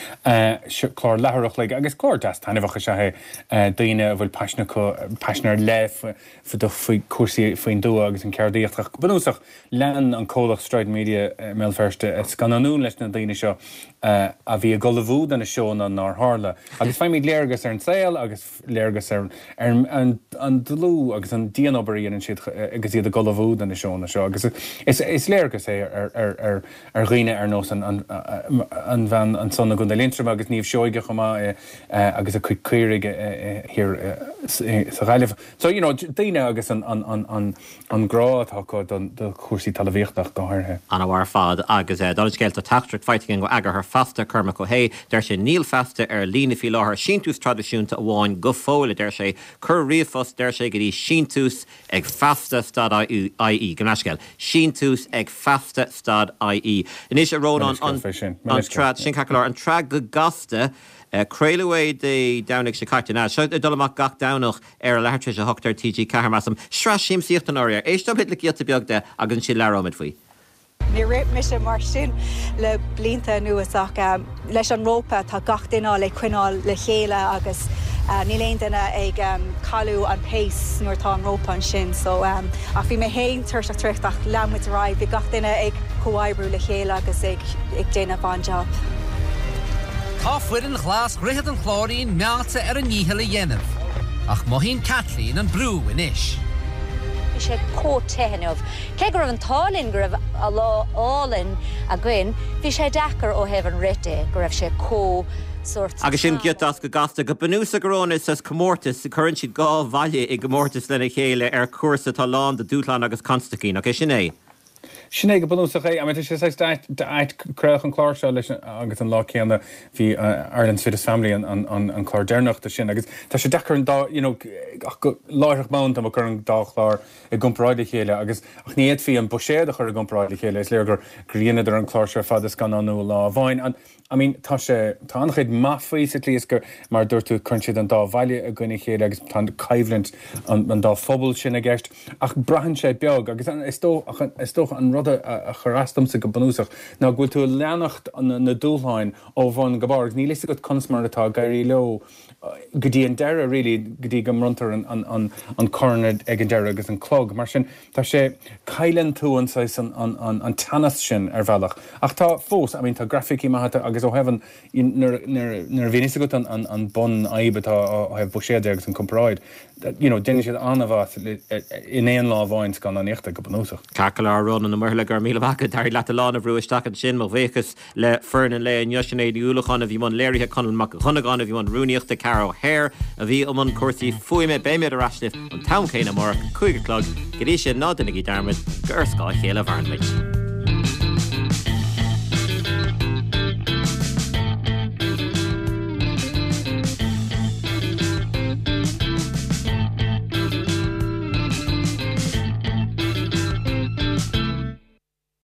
Clár leathuair a chloig agus clár deas taitneamhach is ea é daoine a bhfuil paisean acu paisean ar leith faoi cúrsaí faoin dtuath agus an ceardaíocht ach bunúsach lean an comhlacht Strident Media i mBéal Feirste scannánú leis na daoine seo a bhí ag ullmhú do na seónna nár tharla. Agus faighimid léargas ar an saol agus léargas ar ar an an dlúth agus an dianobair a dhéanann siad agus iad ag ullmhú do na seónna seo agus is is léargas é ar ar ar ar dhaoine ar nós an an an bhean ansan i gContae Liatroma agus Niamh Seoige chomh maith agus a cuid caoirigh thiar sa Ghaillimh. So you know, daoine agus an an an an an grá atá acu don do chúrsaí talmhaíochta go háirithe. An-mhaith ar fad agus dála an scéil tá teachtaireacht faighte againn ó eagarthóir Feasta Cormac Ó hAodha, deir sé níl Feasta ar líne faoi láthair síntiús traidisiúnta amháin go fóill a deir sé cuir ríomhphost deir sé go dtí síntiús ag feasta stad IE gabh mo leithscéal síntiús ag feasta stad IE. Anois a Rónáin an tsraith sin ceart go leor an tsraith go gasta craoladh é Dé Domhnaigh seo caite ná seo ag dul amach gach Domhnach ar a leathuair tar éis a hocht ar TG Ceathair measaim sraith siamsaíochta an áir. Éisteoimid le giota beag de agus ansin labhróimid faoi. Níor rith mise mar sin le blianta anuas ach um, leis an rópa tá gach duine le coinneáil le chéile agus uh, níl aon duine ag um, cailleadh an pace nuair atá an rópa ansin so um, ach bhí mé féin tuirseach traochta ach lean muid ar aghaidh, bhí gach duine ag comhoibriú le chéile agus ag, ag déanamh an-job. Tá foireann ghlas Dhroichead an Chláirín meáite ar a ndícheall a dhéanamh, ach mothaíonn Kathleen an brú anois. Bhí sé chomh te inniu. Cé go raibh an t-ádh linn go raibh a lá álainn againn, bhí sé deacair ó thaobh an rith de go raibh sé chomh sórt Agus sin giota as go gasta go bunúsach a Rónáin is comórtas cuireann siad dhá bhaile i gcomórtas lena chéile ar chúrsa atá lán de dúshlán agus constaicí, nach é sin é. Sin é go bunúsach é, tá sé ait craoladh an clár seo leis agus an lá céanna bhí Ireland's Fittest Family an, an, an, an clár deireanach de sin, agus tá sé deacair an dá you know, ach go láithreach bonn tá chur an dá chlár i gcomparáid le chéile agus ach ní fhéadfaí an buiséad a chur i gcomparáid le chéile is léir gur gur dheineadar an clár seo fad a scannánú lá amháin. An, I mean, tá sé tá an-chuid maith faoi sa tslí is gur mar dúirt tú cuireann siad an dá bhaile i gcoinne chéile agus tá coimhlint an, an dá phobal sin i gceist ach braitheann sé beag agus an, is dócha is dócha an rud a, a chuir as domsa go bunúsach ná go bhfuil tú ag leanacht na, na dúshláin ó bhun go barr agus níl fhios agat conas mar atá ag éirí leo go dtí an deireadh really go dtí go mbronntar an, an, an, an corn ag an deireadh agus an clog mar sin tá sé cailleann tú an saghas an, an, an, an teannas sin ar bhealach ach tá fós I mean, tá grafaicí maithe agus ó thaobh nuair a bhíonn fhios agat an, an, an bhunfhadhb atá ó thaobh buiséad agus an comparáid you know, déanann siad an-mhaith in aon lá amháin scannánaíochta go bunúsach. Ceart go leor Rónán Ó Muirthile, go raibh míle maith agat, d'éirigh leat a lán a bhrú isteach ansin, mo bhuíochas le foireann an lae inniu, Sinéad Ní Uallacháin a bhí i mbun léirithe, Conall Mac Dhonnagáin a bhí i mbun rúnaíochta, Ceara O'Hare a bhí i mbun cúrsaí fuaime. Beimid ar ais libh an t-am céanna amárach, cúig a chlog. Go dtí sin, ná déanaigí dearmad gur ar scáth a chéile a mhaireann muid.